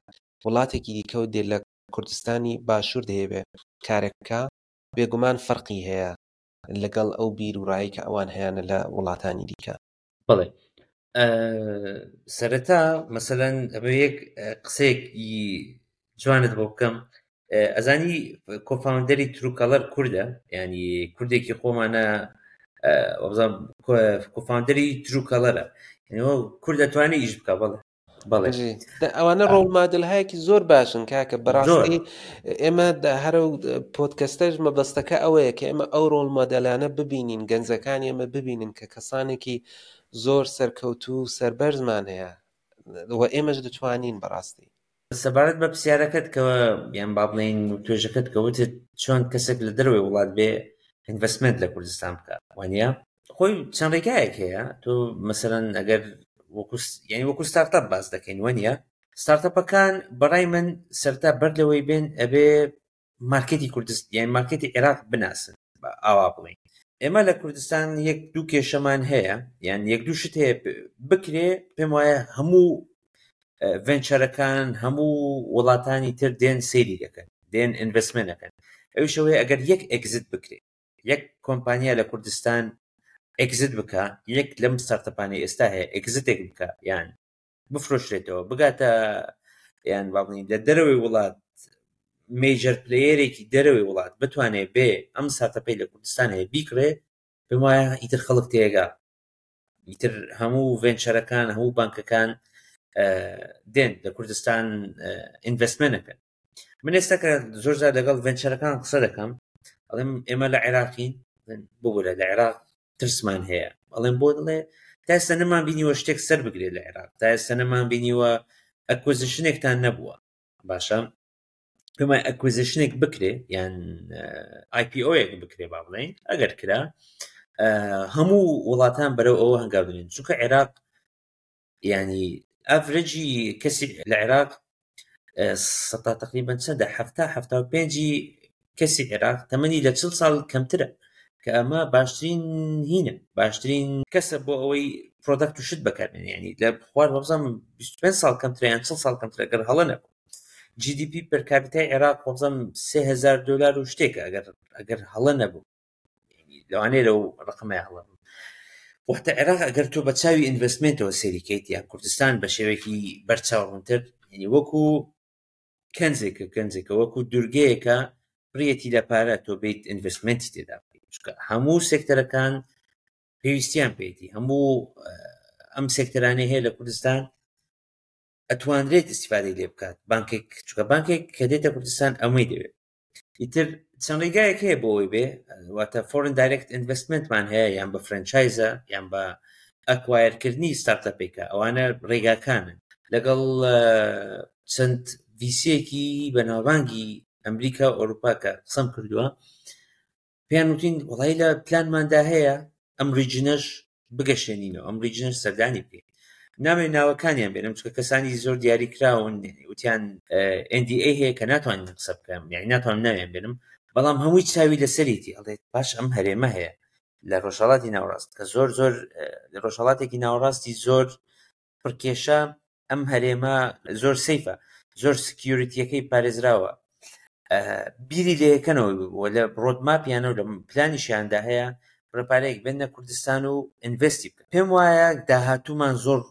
وڵاتێکی دیکەوە دێ لە کوردستانی باشوور دەیەوێ کارێک بکا، بێگومان فەرقی هەیە لەگەڵ ئەو بیر و ڕای کە ئەوان هەیانە لە وڵاتانی دیکە. بەڵێ، سەرەتا مەسەلەن ئەمە یەک قسەیەکی جوانت بۆ بکەم. ئەزانی co-founder ی Truecaller کوردە، ینی کوردێکی خۆمانە، co-founder ی Truecaller ە، کورد دەتوانێت ئیش بکە. بەڵێ بەڵێ. ئەوانە role model هایەکی زۆر باشن کاکە. بەڕاستی ئێمە هەرە پۆدکەستەش مەبەستەکە ئەوەیە کە ئێمە ئەو role model انە ببینین، گەنجەکانی ئێمە ببینن کە کەسانێکی زۆر سەرکەوتوو و سەربەرزمان هەیە و ئێمەش دەتوانین بەڕاستی. سەبارەت بە پرسیارەکەت کە یان با بڵێین توێژەکەت کە وتت چۆن کەسێک لە دەرەوەی وڵات بێ investment لە کوردستان بکە، وانە خۆی چەند ڕێگایەک هەیە. تۆ مەسەرەن ئەگەر یعنی وەکو ستارتاپ باس دەکەین، وانە ستارتاپەکان بەڕای من سەرتا بەر لەوەی بێن ئەبێ مارکێتی کوردستان یان مارکێتی عێراق بناسن. ئاوا بڵێین ئێمە لە کوردستان یەک دوو کێشەمان هەیە، یان یەک دوو شت هەیە بکرێ. پێم وایە هەموو venture ەکان هەموو وڵاتانی تر دێن سەیری دەکەن، دێن investment دەکەن. ئەویشەوەی ئەگەر یەک exit بکرێ، یەک کۆمپانیا لە کوردستان exit بکە، یەک لەم ستارتەپانەی ئێستا هەیە exit ێک بکە یان بفرۆشرێتەوە بگاتە یان با بڵێین لە دەرەوەی وڵات major player ێکی دەرەوەی وڵات بتوانێت بێ ئەم startup ەی لە کوردستان هەیە بیکڕێ، پێم وایە ئیتر خەڵک تێگا، ئیتر هەموو venture ەکان هەموو بانکەکان دێن لە کوردستان investment ەکەن. من ئێستا کە زۆر جار لەگەڵ venture ەکان قسە دەکەم ئەڵێم ئێمە لە عێراقین، ببورە لە عێراق ترسمان هەیە. ئەڵێم بۆ؟ دەڵێ تا ئێستا نەمان بینیوە شتێک سەر بگرێت لە عێراق، تا ئێستا نەمان بینیوە acquisition ێکتان نەبووە. باشە پێم وایە acquisition ێک بکرێ یان IPO یەک بکرێ، با بڵێین ئەگەر کرا هەموو وڵاتان بەرەو ئەوە هەنگاو دەنێن، چونکە عێراق ینی average ی کەسی لە عێراق سەتا تقریبا چەندە 70، 75ی کەسی عێراق تەمەنی لە 40 ساڵ کەمترە، کە ئەمە باشترین هینە، باشترین کەسە بۆ ئەوەی product و شت بەکاربێنێ. ینی لە خوار وەبزانم 25 ساڵ کەمترە یان 40 ساڵ کەمترە ئەگەر هەڵە نەبوو. GDP per capita ی عێراق وەبزانم 3000 دلار و شتێکە ئەگەر هەڵە نەبوو، لەوانەیە لەو ڕقمەیە هەڵە بوو. وەختە عێراق ئەگەر تۆ بە چاوی investment ەوە سەیری کەیت یان کوردستان بە شێوەیەکی بەرچاوڕوونتر، یعنی وەکو کەنزێکە، کەنزێکە وەکو دوورگەیەکە پڕیەتی لە پارە، تۆ بیت investment ی تێدا بکەیت، چونکە هەموو سێکتەرەکان پێویستیان پێیەتی، هەموو ئەم سێکتەرانەی هەیە لە کوردستان ئەتوانرێت ئیسیفادەی لێ بکات بانکێک، چونکە بانکێک کە دێتە کوردستان ئەمەی دەوێت. ئیتر چەند ڕێگایەک هەیە بۆ ئەوەی بێ، واتە foreign direct investment مان هەیە، یان بە franchise ە یان بە acquire کردنی startup ێکە، ئەوانە ڕێگاکانن. لەگەڵ چەند VC یەکی بەناوبانگی ئەمریکا و ئەوروپا کە قسەم کردووە، پێیان وتین وڵی لە پلانماندا هەیە ئەم region ەش بگەشێنینەوە، ئەم region ەش سەردانی بکەین. نامەوێت ناوەکانیان بێنم چونکە کەسانی زۆر دیاری کراون، وتیان NDA هەیە کە ناتوانین قسە بکەم، یعنی ناتوانم ناویان بێنم، بەڵام هەمووی چاوی لەسەرێتی، ئەڵێت باش ئەم هەرێمە هەیە لە ڕۆژهەڵاتی ناوەڕاست کە زۆر زۆر لە ڕۆژهەڵاتێکی ناوەڕاستی زۆر پڕکێشە، ئەم هەرێمە زۆر safe ە، زۆر security یەکەی پارێزراوە، بیری لێیەکەنەوە و لە roadmap یانە و لە پلانیشیاندا هەیە ڕێپارەیەک بێنە کوردستان و invest ی بکەن. پێم وایە داهاتوومان زۆر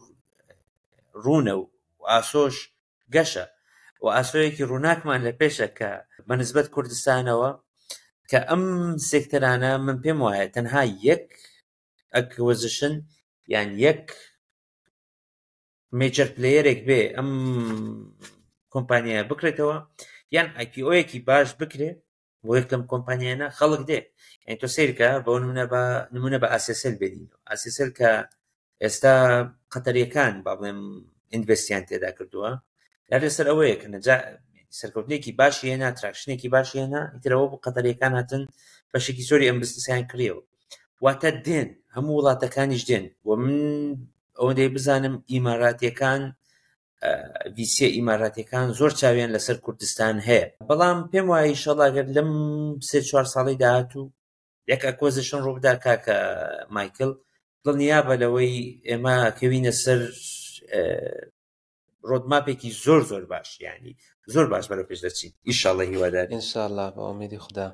ڕوونە و ئاسۆش گەشە و ئاسۆیەکی ڕووناکمان لە پێشە کە بە نسبەت کوردستانەوە کە ئەم سێکتەرانە من پێم وایە تەنها یەک acquisition یان یەک major player ێک بێ ئەم کۆمپانیایە بکرێتەوە یان IPO یەکی باش بکرێ بۆ یەک لەم کۆمپانیانە خەڵک دێ. یعنی تۆ سەیرکە بۆ نمونە بە نمونە بە ئاسیاسێل بێنینەوە، ئاسیاسێل کە ئێستا قەتەریەکان با بڵێم invest یان تێدا کردووە، لە لەسەر ئەوەیە کە نەجا سەرکەوتنێکی باشی هێنا، traction ێکی باشی هێنا، ئیترەوە بۆ قەتەریەکان هاتن بەشێکی زۆری ئەم بزنسیان کڕیەوە. واتە دێن هەموو وڵاتەکانیش دێن و من ئەوەندەی بزانم ئیماراتیەکان VC یە ئیماراتیەکان زۆر چاویان لەسەر کوردستان هەیە، بەڵام پێم وایە ئینشەڵا ئەگەر لەم 3-4 ساڵی داهاتوو یەک acquisition ڕووبدا کاکە مایکل، دڵنیابە لەوەی ئێمە کەوینە سەر roadmap ێکی زۆر زۆر باش، یعنی زۆر باش بەرەو پێش دەچین ئینشاءڵڵا، هیوادارین ئینشاءڵڵا بە ئومێدی خودا.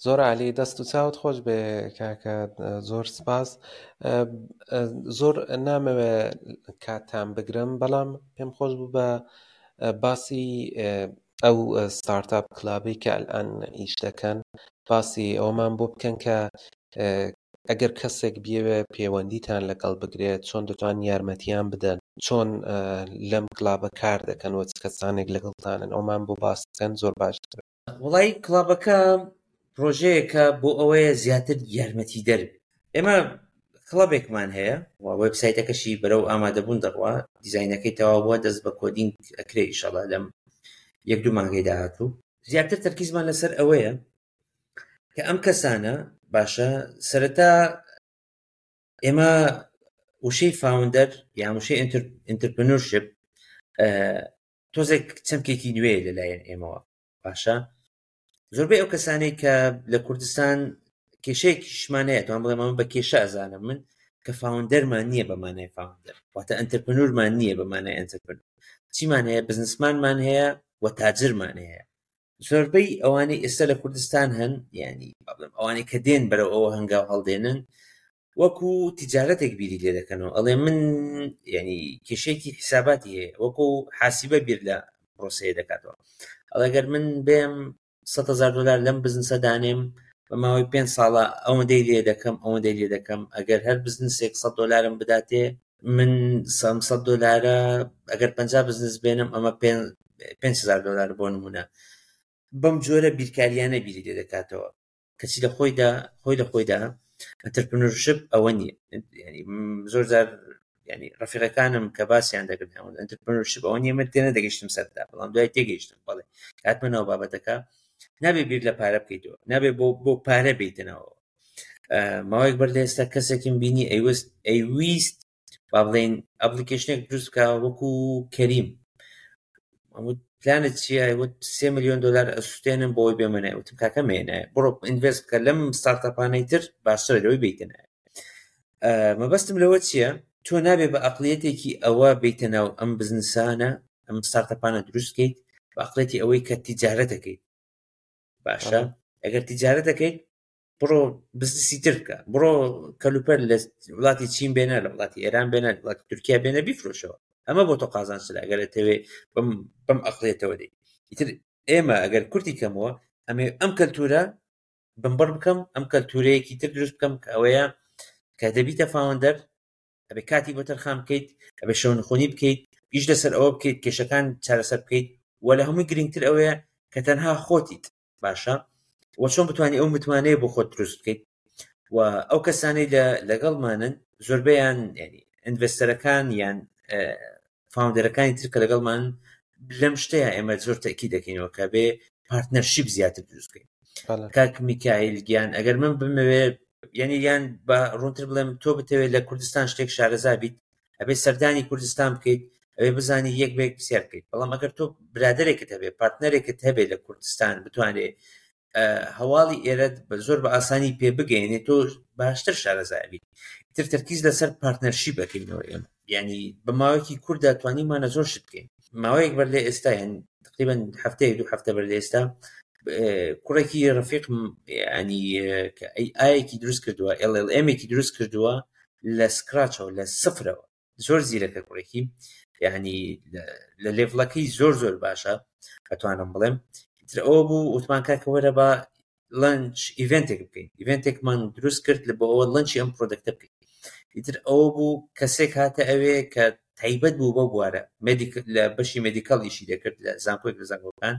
زۆر عالی، دەست و چاوت خۆش بێ کاکە، زۆر سپاس. زۆر نامەوێ کاتتان بگرم، بەڵام پێم خۆش بوو بە باسی ئەو startup club ی کە ئەلئان ئیش دەکەن، باسی ئەوەمان بۆ بکەن کە ئەگەر کەسێک بیەوێ پەیوەندیتان لەگەڵ بگرێت چۆن دەتوان یارمەتیان بدەن، چۆن لەم club ە کار دەکەن و چ کەسانێک لەگەڵتانن، ئەومان بۆ باس بکەن زۆر باشتر. وڵای club ەکە پرۆژەیەکە بۆ ئەوەیە زیاتر یارمەتی دەر. ئێمە club ێکمان هەیە و وێبسایتەکەشی بەرەو ئامادەبوون دەڕوا، دیزاینەکەی تەواو بووە، دەست بە coding ئەکرێ ئینشاڵڵا لەم یەک دوو مانگەی داهاتوو. زیاتر تەرکیزمان لەسەر ئەوەیە کە ئەم کەسانە باشە سەرەتا ئێمە وشەی founder یان وشەی entrepreneurship تۆزێک چەمکێکی نوێ لەلایەن ئێمەوە. باشە زۆربەی ئەو کەسانەی کە لە کوردستان کێشەیەکیشمان هەیە، توان بڵێم ئەمە بە کێشە ئەزانم من، کە founder مان نییە بە مانای founder، واتە entrepreneur مان نییە بە مانای entrepreneur. چیمان هەیە؟ businessman مان هەیە و تاجرمان هەیە. زۆربەی ئەوانەی ئێستا لە کوردستان هەن، یعنی با بڵێم ئەوانەی کە دێن بەرەو ئەوە هەنگاو هەڵدێنن، وەکو تیجارەتێک بیری لێ دەکەنەوە. ئەڵێ من یعنی کێشەیەکی حساباتی هەیە، وەکو حاسیبە بیر لە پرۆسەیە دەکاتەوە. ئەڵێ گەر من بێم 100,000 دلار لەم بزنسە دانێم بە ماوەی 5 ساڵە ئەوەندەی لێ دەکەم ئەوەندەی لێ دەکەم، ئەگەر هەر بزنسێک 100 دلارم بداتێ من 100 دلارە ئەگەر 50 بزنس بێنم ئەمە 5000 دلار بۆ نمونە. بەم جۆرە بیرکاریانە بیری لێ دەکاتەوە، کەچی لە خۆیدا خۆی لە خۆیدا entrepreneurship ئەوە نییە. ینی زۆر جار ینی ڕەفیقەکانم کە باسییان دەکرد entrepreneurship ئەوە نییە، من تێنە دەگەیشتم سەردا، بەڵام دوای تێگەیشتم بەڵێ هاتمە ناو بابەتەکە نابێ بیر لە پارە بکەیتەوە، نابێ بۆ پارە بیتنەوە. ماوەیەک بەر لە ئێستا کەسێکم بینی ئەیویست با بڵێین application ێک دروست بکە وەکو کەریم. ئەمە پلانت چییە؟ وت 3 میلیۆن دلار ئەسووتێنم بۆی بێمە نای. وتم کاکە مێنایە، بڕۆ invest بکە لەم startup انەی تر باشترە لەوەی بیتە نای. مەبەستم لەوە چییە؟ تۆ نابێ بە ئەقلیەتێکی ئەوە بیتە ناو ئەم بزنسانە، ئەم startup انە دروست بکەیت بە ئەقلیەتی ئەوەی کە تیجارەت دەکەیت. باشە ئەگەر تیجارەت دەکەیت بڕۆ بزنسی تر بکە، بڕۆ کەلوپەر لە وڵاتی چین بێنە، لە وڵاتی ئێران بێنە، لە وڵاتی تورکیا بێنە بیفرۆشەوە. ئەمە بۆ تۆ قازانجترە ئەگەر ئەتەوێ بەم ئەقلیەتەوە دێی. ئیتر ئێمە ئەگەر کورتی کەمەوە ئەمێ ئەم کەلتورە بنبڕ بکەم، ئەم کەلتورەیەکی تر دروست بکەم کە ئەوەیە کە دەبیتە founder ئەبێ کاتی بۆ تەرخان بکەیت، ئەبێ شەونخۆنی بکەیت، ئیش لەسەر ئەوە بکەیت، کێشەکان چارەسەر بکەیت، و لە هەمووی گرنگتر ئەوەیە کە تەنها خۆتیت. باشە و چۆن بتوانانی ئەو متمانەیە بۆ خۆت دروست بکەیت؟ و ئەو کەسانەی لەگەڵمانن زۆربەیان ینی investor ەکان یان founder ەکانی تر کە لەگەڵمان لەم شتەیە ئێمە زۆر تەکی دەکەینەوە کە بێ partnership زیاتر دروست بکەین. کاک میکایل گیان ئەگەر من بمەوێ یعنی یان بە ڕوونتر بڵێم تۆ بتەوێت لە کوردستان شتێک شارەزا بیت ئەبێ سەردانی کوردستان بکەیت، ئەبێ بزانی یەک بە یەک پرسیار بکەیت. بەڵام ئەگەر تۆ برادێکت هەبێ، partner ێکت هەبێ لە کوردستان بتوانێ هەواڵی ئێرەت زۆر بە ئاسانی پێ بگەیەنێت، تۆ باشتر شارەزا بیت. ئیتر تەرکیز لەسەر partnership ئەکەینەوە ئێمە. یعنی بە ماوەیەکی کووردا توانیمانە زۆر شت بکەین. ماوەیەک بەر لە ئێستا، یعنی تقریبا هەفتەیەک دوو هەفتە بەر لە ئێستا، کوڕێکی ڕەفیق ینی کە AI یەکی دروست کردووە، LLM ێکی دروست کردووە لە scratch ەوە، لە سفرەوە. زۆر زیرەکە کوڕێکی، یعنی لە level ەکەی زۆر زۆر باشە ئەتوانم بڵێم. ئیتر ئەوە بوو وتمان کاکە وەرە بە launch event ێک بکەین. event ێکمان دروست کرد لە بۆ ئەوە launch ی ئەم product ە بکەین. ئیتر ئەوە بوو کەسێک هاتە ئەوێ کە تایبەت بوو بەو بوارە، لە بەشی medical ئیشی دەکرد لە زانکۆیەک لە زانکۆکان،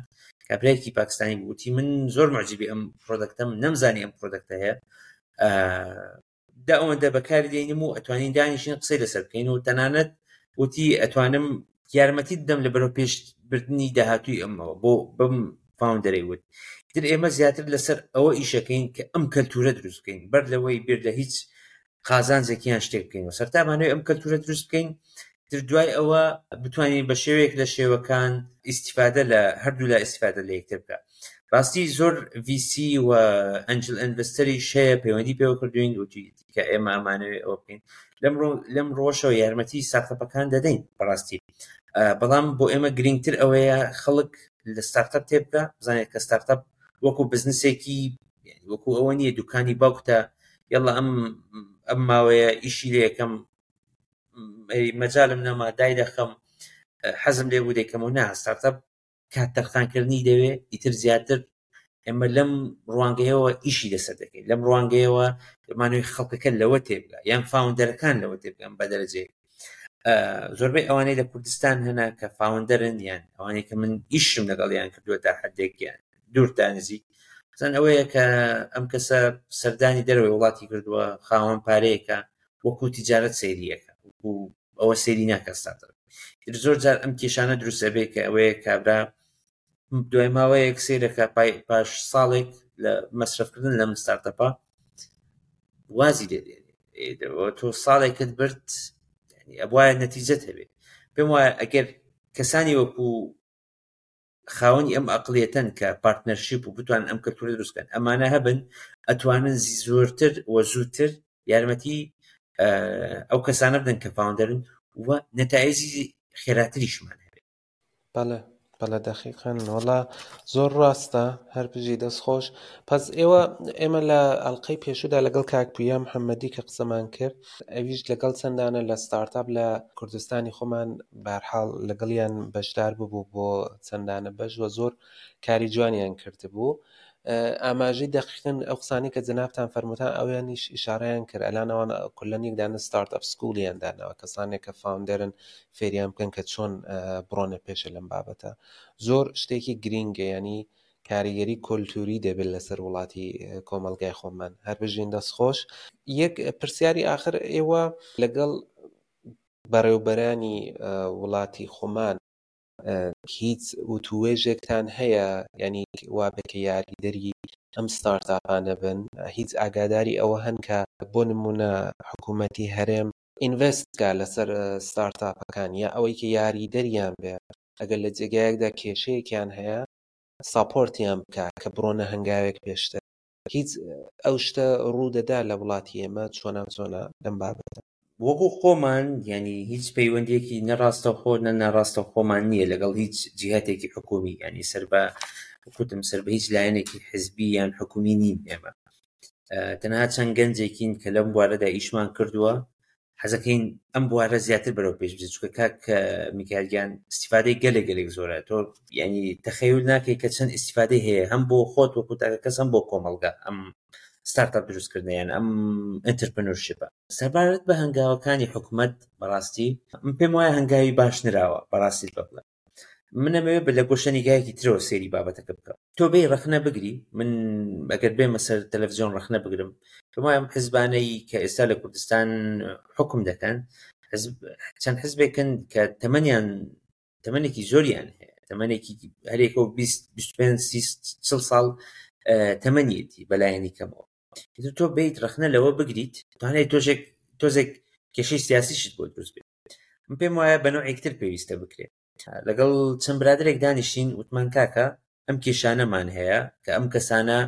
کابرایەکی پاکستانی بوو. وتی من زۆر معجبی ئەم product ەم، نەمزانی ئەم product ە هەیە، دا ئەوەندە بەکاری دێنم و ئەتوانین دانیشین قسەی لەسەر بکەین و تەنانەت وتی ئەتوانم یارمەتی بدەم لە بەرەو پێشبردنی داهاتووی ئەمەوە بۆ بەم founder ەی وت. ئیتر ئێمە زیاتر لەسەر ئەوە ئیشەکەین کە ئەم کەلتورە دروست بکەین بەر لەوەی بیر لە هیچ قازانجێکیان شتێک بکەین و سەرتامانەوەی ئەم کەلتورە دروست بکەین. تر دوای ئەوە بتوانین بە شێوەیەک لە شێوەکان ئیسیفادە لە هەردوو لا ئیسیفادە لە یەکتر بکە. ڕاستی زۆر VC و angel investor یش هەیە پەیوەندی پێوە کردوین وتی کە ئێمە ئەمانەوێ ئەوە بکەین. لەم ڕۆژەوە یارمەتی startup ەکان دەدەین بەڕاستی، بەڵام بۆ ئێمە گرنگتر ئەوەیە خەڵک لە startup تێبگا، بزانێت کە startup وەکو بزنسێکی وەکو ئەوە نییە دوکانی باوکتە یەڵا ئەم ماوەیە ئیشی لێ یەکەم مەجالم نەما دای دەخەم حەزم لێ بوو دەیکەمەوە. نا، startup کات تەرخانکردنی دەوێ. ئیتر زیاتر ئێمە لەم ڕوانگەیەوە ئیشی لەسەر دەکەین، لەم ڕوانگەیەوە مانەوەی خەڵکەکە لەوە تێبگا یان founder ەکان لەوە تێبگەن بە دەرەجەیەک. زۆربەی ئەوانەی لە کوردستان هەنا کە founder ن یان ئەوانەی کە من ئیشم لەگەڵیان کردووە تا حدێکیان دوور تا نزیک، مثلاً ئەوەیە کە ئەم کەسە سەردانی دەرەوەی وڵاتی کردووە، خاوەن پارەیەکە، وەکو تیجارەت سەیریەکە، وەکو ئەوە سەیری ناکە startup. زۆر جار ئەم کێشانە دروست ئەبێ کە ئەوەیە کابرا دوای ماوەیەک سەیرەکە پاش ساڵێک لە مەسرەفکردن لەم startup ە وازی لێ دێنێ. تۆ ساڵێکت برد، ئەبوایە نەتیجەت هەبێ. پێم وایە ئەگەر کەسانی وەکو خاوەنی ئەم ئەقلیەتەن کە partnership و بتوانن ئەم کەلتورە دروست بکەن، ئەمانە هەبن ئەتوانن زۆرتر و زووتر یارمەتی ئەو کەسانە بدەن کە founder ن و نەتایجی خێراتریشمان هەبێت. بەڵێ. بەڵێ دەقیقەن وەڵا زۆر ڕاستە هەر بژی دەست خۆش پس ئێوە ئێمە لە ئەڵلقەی پێشودا لەگەڵ کاک پویا محەممەدی کە قسەمان کرد ئەویش لەگەڵ چەندانە لە ستارتاپ لە کوردستانی خۆمان بارحاڵ لەگەڵیان بەشدار ببوو بۆ چەندانە بەش وە زۆر کاری جوانیان کردبوو ئاماژەی دەقیقن ئەو قسانەی کە جەنابتان فەرمووتان ئەویانیش ئیشارەیان کرد ئەلان ئەوان کولەن یەک دانە ستارت ئەپ سکوڵیان داناوە کەسانێک کە فاوندەرن فێریان بکەن کە چۆن بڕۆنە پێشە لەم بابەتە زۆر شتێکی گرینگە ینی کاریگەری کۆلتوری دەبێت لەسەر وڵاتی کۆمەلگای خۆمان هەر بژین دەست خۆش یەک پرسیاری ئاخر ئێوە لەگەڵ بەڕێوبەرانی وڵاتی خۆمان هیچ وتووێژێکتان هەیە یعنی وا بێ کە یاریدەری ئەم ستارتاپانە بن هیچ ئاگاداری ئەوە هەن کە بۆ نمونە حکوومەتی هەرێم ئینڤست کا لەسەر ستارتاپەکان یا ئەوەی کە یاریدەریان بێ ئەگەر لە جێگایەکدا کێشەیەکیان هەیە ساپۆرتیان بکە کە بڕۆنە هەنگاوێک پێشتر هیچ ئەو شتە ڕوو دەدا لە وڵاتی ئێمە چۆنا چۆنا لەم بابەتە؟ وەکو خۆمان یانی هیچ پەیوەندیەکی نە ڕاستەوخۆ نە ناڕاستەوخۆمان نییە لەگەڵ هیچ جیهتێکی حکومی یانی سەر بە کوتم سەر بە هیچ لایەنێکی حزبی یان حکومی نین ئێمە تەنها چەند گەنجێکین کە لەم بوارەدا ئیشمان کردووە حەزەکەین ئەم بوارە زیاتر بەرەو پێش بچێت چونکە کاک میکایل گیان ئیستیفادەی گەلێک گەلێک زۆرە تۆ یعنی تەخەیول ناکەی کە چەند ئیستیفادەی هەیە هەم بۆ خۆت وەکو تاکە کەس هەم بۆ کۆمەڵگا ئەم ستارتاپ دروستکردنیان ئەم ئەنترپرنەرشیپە سەبارەت بە هەنگاوەکانی حکومەت بەڕاستی من پێم وایە هەنگاوی باش نراوە بەڕاستی بڵێم من ئەمەوێ بە لە گۆشە نیگایەکی ترەوە سەیری بابەتەکە بکەم تۆ بێی ڕەخنە بگری من ئەگەر بێمە سەر تەلەڤزیۆن ڕەخنە بگرم پێم وایە ئەم حزبانەی کە ئێستا لە کوردستان حکم دەکەن حزب چەند حزبێکن کە تەمەنیان تەمەنێکی زۆریان هەیە تەمەنێکی هەرێکە و 20 25 30 40 ساڵ تەمەنیەتی بەلایەنی کەمەوە ئیتر تۆ بیت ڕەخنە لەوە بگریت توانێت تۆژێک تۆزێک کێشەی سیاسیشت بۆ دروست بێت من پێم وایە بە نەوعێکتر پێویستە بکرێت لەگەڵ چەند برادێک دانیشتین وتمان کاکە ئەم کێشانەمان هەیە کە ئەم کەسانە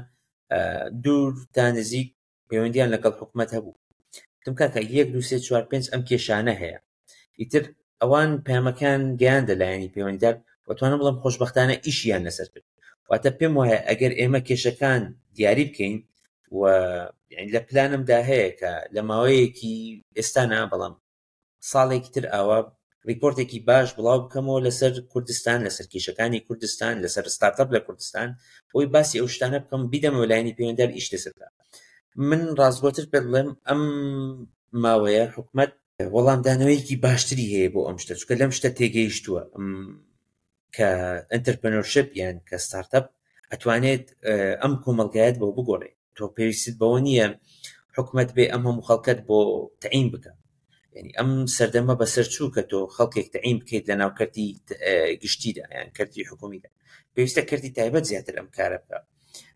دوور تا نزیک پەیوەندیان لەگەڵ حکومەت هەبوو تم کاکە یەک دو سێ چوار پێنج ئەم کێشانە هەیە ئیتر ئەوان پەیامەکان گەیاندە لایەنی پەیوەندیدار و توانم بڵێم خۆشبەختانە ئیشیان لەسەر کرد واتە پێم وایە ئەگەر ئێمە کێشەکان دیاری بکەین و لە پلانمدا هەیە کە لە ماوەیەکی ئێستا نا بەڵام ساڵێکی تر ئاوا ڕیپۆرتێکی باش بڵاو بکەمەوە لەسەر کوردستان لەسەر کێشەکانی کوردستان لەسەر ستارتەپ لە کوردستان بۆی باسی ئەو شتانە بکەم بیدەمەوە لایەنی پەیوەندار ئیش لەسەر بکە من ڕاستگۆتر پێت بڵێم ئەم ماوەیە حکومەت وەڵامدانەوەیەکی باشتری هەیە بۆ ئەم شتە چونکە لەم شتە تێگەیشتووە کە ئەنتەرپرنەرشپ یان کە ستارتەپ ئەتوانێت ئەم کۆمەڵگایەت بۆ بگۆڕێ تۆ پێویستت بەوە نییە حکومەت بێ ئەم هەموو خەڵکەت بۆ تەعین بکە یعنی ئەم سەردەمە بەسەر چوو کە تۆ خەڵکێک تەعین بکەیت لە ناو کەرتی گشتیدا یان کەرتی حکومیدا پێویستە کەرتی تایبەت زیاتر ئەم کارە بکە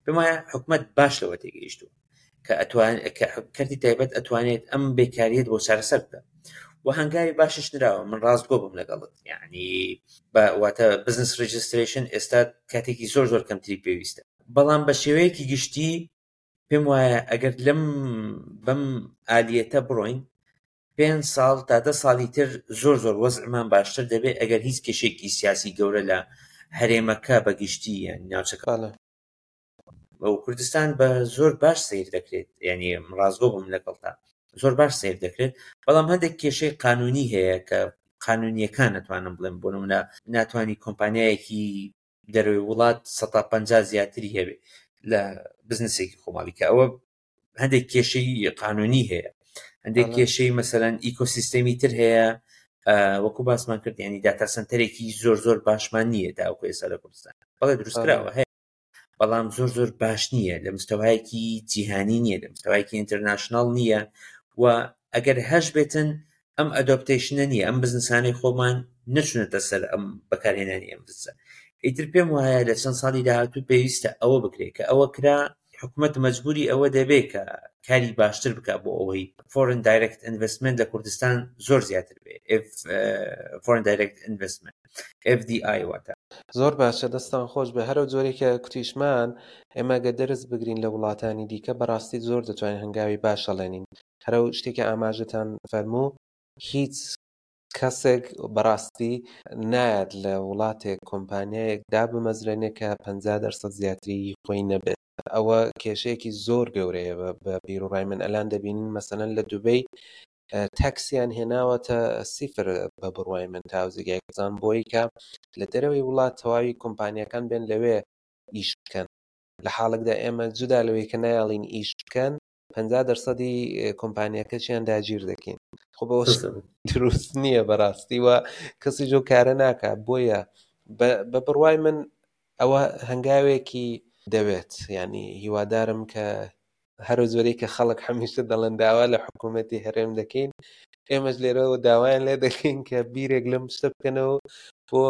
پێم وایە حکومەت باش لەوە تێگەیشتووە کە ئەتوان کە کەرتی تایبەت ئەتوانێت ئەم بێکاریت بۆ چارەسەر بکە و هەنگاوی باشش نراوە من ڕاستگۆ بم لەگەڵت یعنی بە واتە بزنس ڕێجسترێشن ئێستا کاتێکی زۆر زۆر کەمتری پێویستە بەڵام بە شێوەیەکی گشتی پێم وایە ئەگەر لەم بەم ئالیەتە بڕۆین پێ ساڵ تا دە ساڵی تر زۆر زۆر وەزعمان باشتر دەبێت ئەگەر هیچ کێشێکی سیاسی گەورە لە هەرێمەکە بەگشتی یان ناوچەکە و کوردستان بە زۆر باش سیر دەکرێت یعنی ڕاستگۆ بم لەگەڵتا زۆر باش سیر دەکرێت بەڵام هەندێک کێشەی قانونی هەیە کە قانونیەکان نەتوانم بڵێم بۆ نمونە ناتوانانی کۆمپانیایەکی دەرەوەی وڵات 150 زیاتری هەبێ لە بزنسێکی خۆماڵی کە ئەوە هەندێک کێشەی قانونی هەیە هەندێک کێشەی مەسەلەن ئیکۆسیستەمی تر هەیە وەکو باسمان کرد ینی داتا سنتەرێکی زۆر زۆر باشمان نییە تاوەکو ئێستا لە کوردستان بەڵێ دروستکراوە هەیە بەڵام زۆر زۆر باش نییە لە مستەوایەکی جیهانی نییە لە مستەوایەکی ئینتەرناشناڵ نییە و ئەگەر هەش بێتن ئەم ئەدۆپتیشنە نییە ئەم بزنسانەی خۆمان نەچونەتە سەر ئەم بەکارهێنانی ئەم بزنسە ئیتر پێم وایە لە چەند ساڵی داهاتوو پێویستە ئەوە بکرێت کە ئەوە کرا حکومەت مەجبوری ئەوە دەبێت کە کاری باشتر بکە بۆ ئەوەی فۆرن دایرکت ئینڤستمنت لە کوردستان زۆر زیاتر بێ فۆرن دایرکت ئینڤستمنت FDI واتە. زۆر باشە دەستان خۆش بێ هەرەو جۆرەی کە کوتیشمان ئێمە گەر دەرس بگرین لە وڵاتانی دیکە بەڕاستی زۆر دەتوانین هەنگاوی باش هەڵێنین هەرەو شتێکی ئاماژەتان فەرموو هیچ. کەسێک بەڕاستی نایەت لە وڵاتێک کۆمپانیایەک دابمەزرێنێ کە 50 دەرسەد زیاتری خۆی نەبێت. ئەوە کێشەیەکی زۆر گەورەیە بە بیروڕای من. ئەلان دەبینین مەسەلەن لە دوبەی تەکسیان هێناوەتە سیفر بە بڕوای من تاوزیگای بزان بۆی کە لە دەرەوەی وڵات تەواوی کۆمپانیەکان بێن لەوێ ئیش بکەن، لە حاڵێکدا ئێمە جودا لەوەی کە نایەڵین ئیش بکەن 50 دەرسەدی کۆمپانیەکەشیان داگیر دەکەین. خۆ بەوە دروست نییە بەڕاستی و کەسی جۆ کارە ناکا. بۆیە بە بڕوای من ئەوە هەنگاوێکی دەوێت، ینی هیوادارم کە هەرو زۆرەی کە خەڵک هەمیشە دەڵێن داوا لە حکوومەتی هەرێم دەکەین، ئێمەش لێرەوە داوایان لێ دەکەین کە بیرێک لەم شتە بکەنەوە بۆ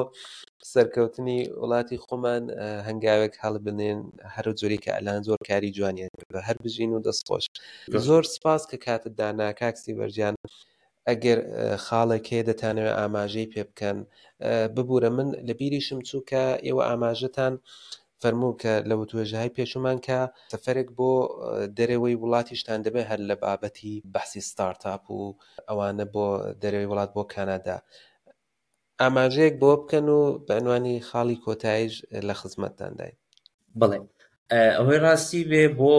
سەرکەوتنی وڵاتی خۆمان هەنگاوێک هەڵبنێن، هەرو جۆری کە ئەلان زۆر کاری جوانیان کردووە. هەر بژین و دەستخۆش. زۆر سپاس کە کاتت دانا کاک سیڤەرجان. ئەگەر خاڵێک هەیە دەتانەوێت ئاماژەی پێ بکەن ببوورە، من لە بیریشم چوو کە ئێوە ئاماژەتان فەرموو کە لە وتوێژهای پێشومان کە سەفەرێک بۆ دەرەوەی وڵاتیشتان دەبێت هەر لە بابەتی بەحسی ستارتاپ و ئەوانە بۆ دەرەوەی وڵات بۆ کانادا، ئاماژەیەک بۆ بکەن و بە عنوانی خاڵی کۆتاییش لە خزمەتتانداین. بەڵێ ئەوەی ڕاستی بێ بۆ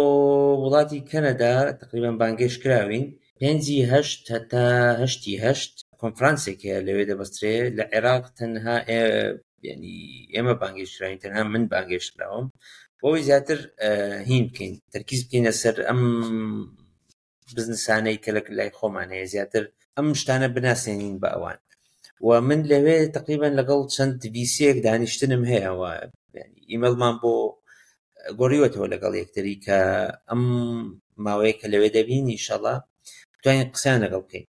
وڵاتی کەنەدا تقریبا بانگێش کراوین پێنجی هەشت هەتا هەشتی هەشت کۆنفرانسێک هەیە لەوێ دەبەسترێ. لە عێراق تەنها ینی ئێمە بانگێش کراوین، تەنها من بانگێش کراوم بۆ ئەوەی زیاتر هین بکەین، تەرکیز بکەینە سەر ئەم بزنسانەی کە لە لای خۆمان هەیە، زیاتر ئەم شتانە بناسێنین بە ئەوان. و من لەوێ تقریبا لەگەڵ چەند ڤیسیەک دانیشتنم هەیە و ئیمەڵمان بۆ گۆڕیوەتەوە لەگەڵ یەکتری کە ئەم ماوەیە کە لەوێ دەبین ئینشەڵا بتوانین قسەیان لەگەڵ بکەین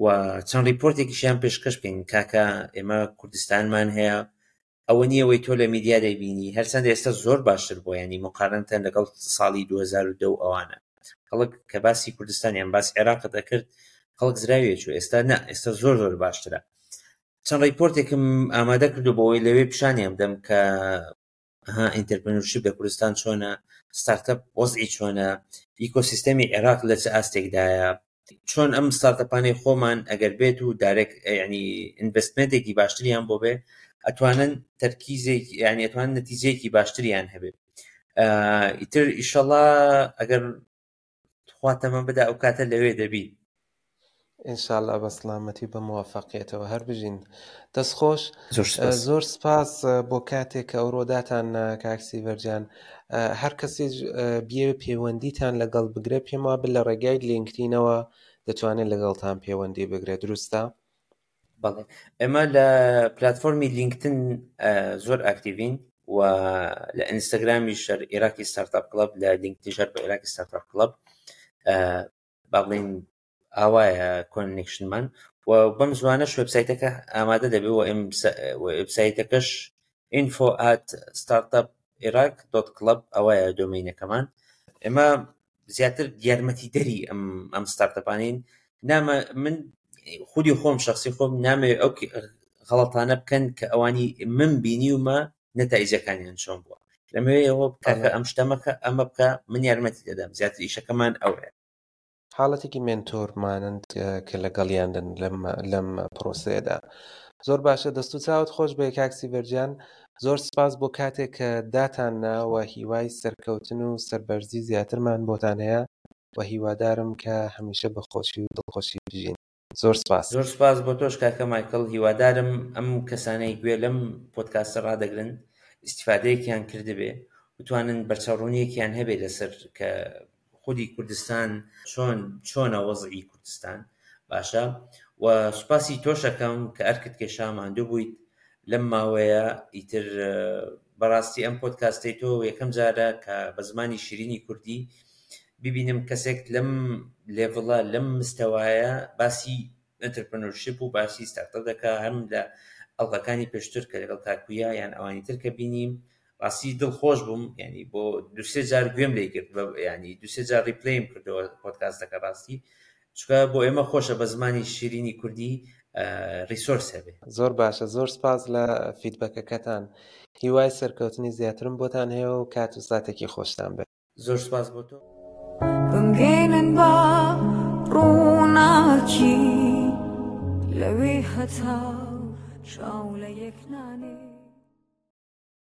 و چەند ڕیپۆرتێکیشیان پێشکەش بکەین. کاکە ئێمە کوردستانمان هەیە، ئەوە نییە ئەوەی تۆ لە میدیا دەیبینی، هەرچەندە ئێستا زۆر باشتر بووە، ینی مقارنەتەن لەگەڵ ساڵی 2010 و ئەوانە خەڵک کە باسی کوردستان یان باسی عێراقت دەکرد خەڵک زراویە چوو، ئێستا نا، ئێستا زۆر زۆر باشترە. چەند ڕیپۆرتێکم ئامادە کردو بۆ ئەوەی لەوێ پیشانیان بدەم کە ها ئینتەرپرنورشیپ لە کوردستان چۆنە، ستارتەپ وەزعی چۆنە، ئیکۆسیستەمی عێراق لە چ ئاستێکدایە، چۆن ئەم ستارتەپانەی خۆمان ئەگەر بێت و دایرێکت ینی ئینڤستمنتێکی باشتریان بۆ بێ ئەتوانن تەرکیزێک ینی ئەتوانن نەتیجەیەکی باشتریان هەبێت. ئیتر ئیشەڵا ئەگەر خوا تەمەن بدا ئەو کاتە لەوێ دەبی. ئینشاءاللە بە سڵامەتی بە موفقیەتەوە هەر بژین. دەست خۆش. زۆر سپاس بۆ کاتێک کە ئەوڕۆ داتان کاک سیڤەرجان. هەر کەسێک بیەوێ پەیوەندیتان لەگەڵ بگرێت، پێم وابێ لە ڕێگای لینکدینەوە دەتوانێت لەگەڵتان پەیوەندی بگرێت، دروستە؟ بەڵێ، ئێمە لە پلتفۆرمی لینکدن زۆر ئاکتیڤین و لە ئینستاگرامی شەر ئێراقی ستارتاپ کلەب، لە لینکدین شەر بە ئێراقی ستارتاپ کلەب، با بڵێین ئاوایە کۆنێکشنمان. و بەم زوانەش وێبسایتەکە ئامادە دەبێت و وێبسایتەکەش info at startup iraq dot club ئەوەیە دۆمینەکەمان. ئێمە زیاتر یارمەتی دەری ئەم ستارتەپانین. نامە من خودی خۆم شخصی خۆم نامەوێت ئەو غەڵەتانە بکەن کە ئەوانی من بینیومە نەتایجەکانیان چۆن بووە. لەمەوێ ئەوە بکە کە ئەم شتە مەکە، ئەمە بکە، من یارمەتی دەدەم. زیاتر ئیشەکەمان ئەوەیە. حاڵەتێکی مێنتۆرمانند کە لەگەڵیان دەن لەم پرۆسەیەدا. زۆر باشە، دەست و چاوت خۆش بێ کاک سیڤەرجان. زۆر سپاس بۆ کاتێک کە داتان ناوە، هیوای سەرکەوتن و سەربەرزی زیاترمان بۆتان هەیە و هیوادارم کە هەمیشە بە خۆشی و دڵخۆشی بژین. زۆر سپاس. زۆر سپاس بۆ تۆش کاکە مایکڵ. هیوادارم ئەم کەسانەی گوێ لەم پۆدکاستە ڕادەگرن ئیسیفادەیەکیان کردبێ، بتوانن بەرچاوڕوونیەکیان هەبێ لەسەر کە خودی کوردستان چۆنە وەزعی کوردستان. باشە، و سوپاسی تۆشەکەم کە ئەرکت کێشا، ماندوو بوویت لەم ماوەیە. ئیتر بەڕاستی ئەم پۆدکاستەی تۆ یەکەم جارە کە بە زمانی شیرینی کوردی ببینم کەسێک لەم لێڤڵە، لەم مستەوایە باسی ئەنتەرپرنورشیپ و باسی ستارتەپ دەکا. هەم لە ئەڵقەکانی پێشتر کە لەگەڵ کاکویا یان ئەوانی تر کە بینیم ڕاستی دڵخۆش بووم، ینی بۆ دوسێ جار گوێم لێ گرت، ینی دوسێ جار ڕیپلەیم کردەوە پۆدکاستەکە ڕاستی، چونکە بۆ ئێمە خۆشە بە زمانی شیرینی کوردی ڕیسۆرس هەبێ. زۆر باشە، زۆر سپاس لە فیدبەکەکەتان. هیوای سەرکەوتنی زیاترم بۆتان هەیە و کات و ساتێکی خۆشتان بێت. زۆر سپاس بۆ تۆ. بمگەینن بە ڕووناکی. لەوێ هەتاو چاو لە یەک نانێ.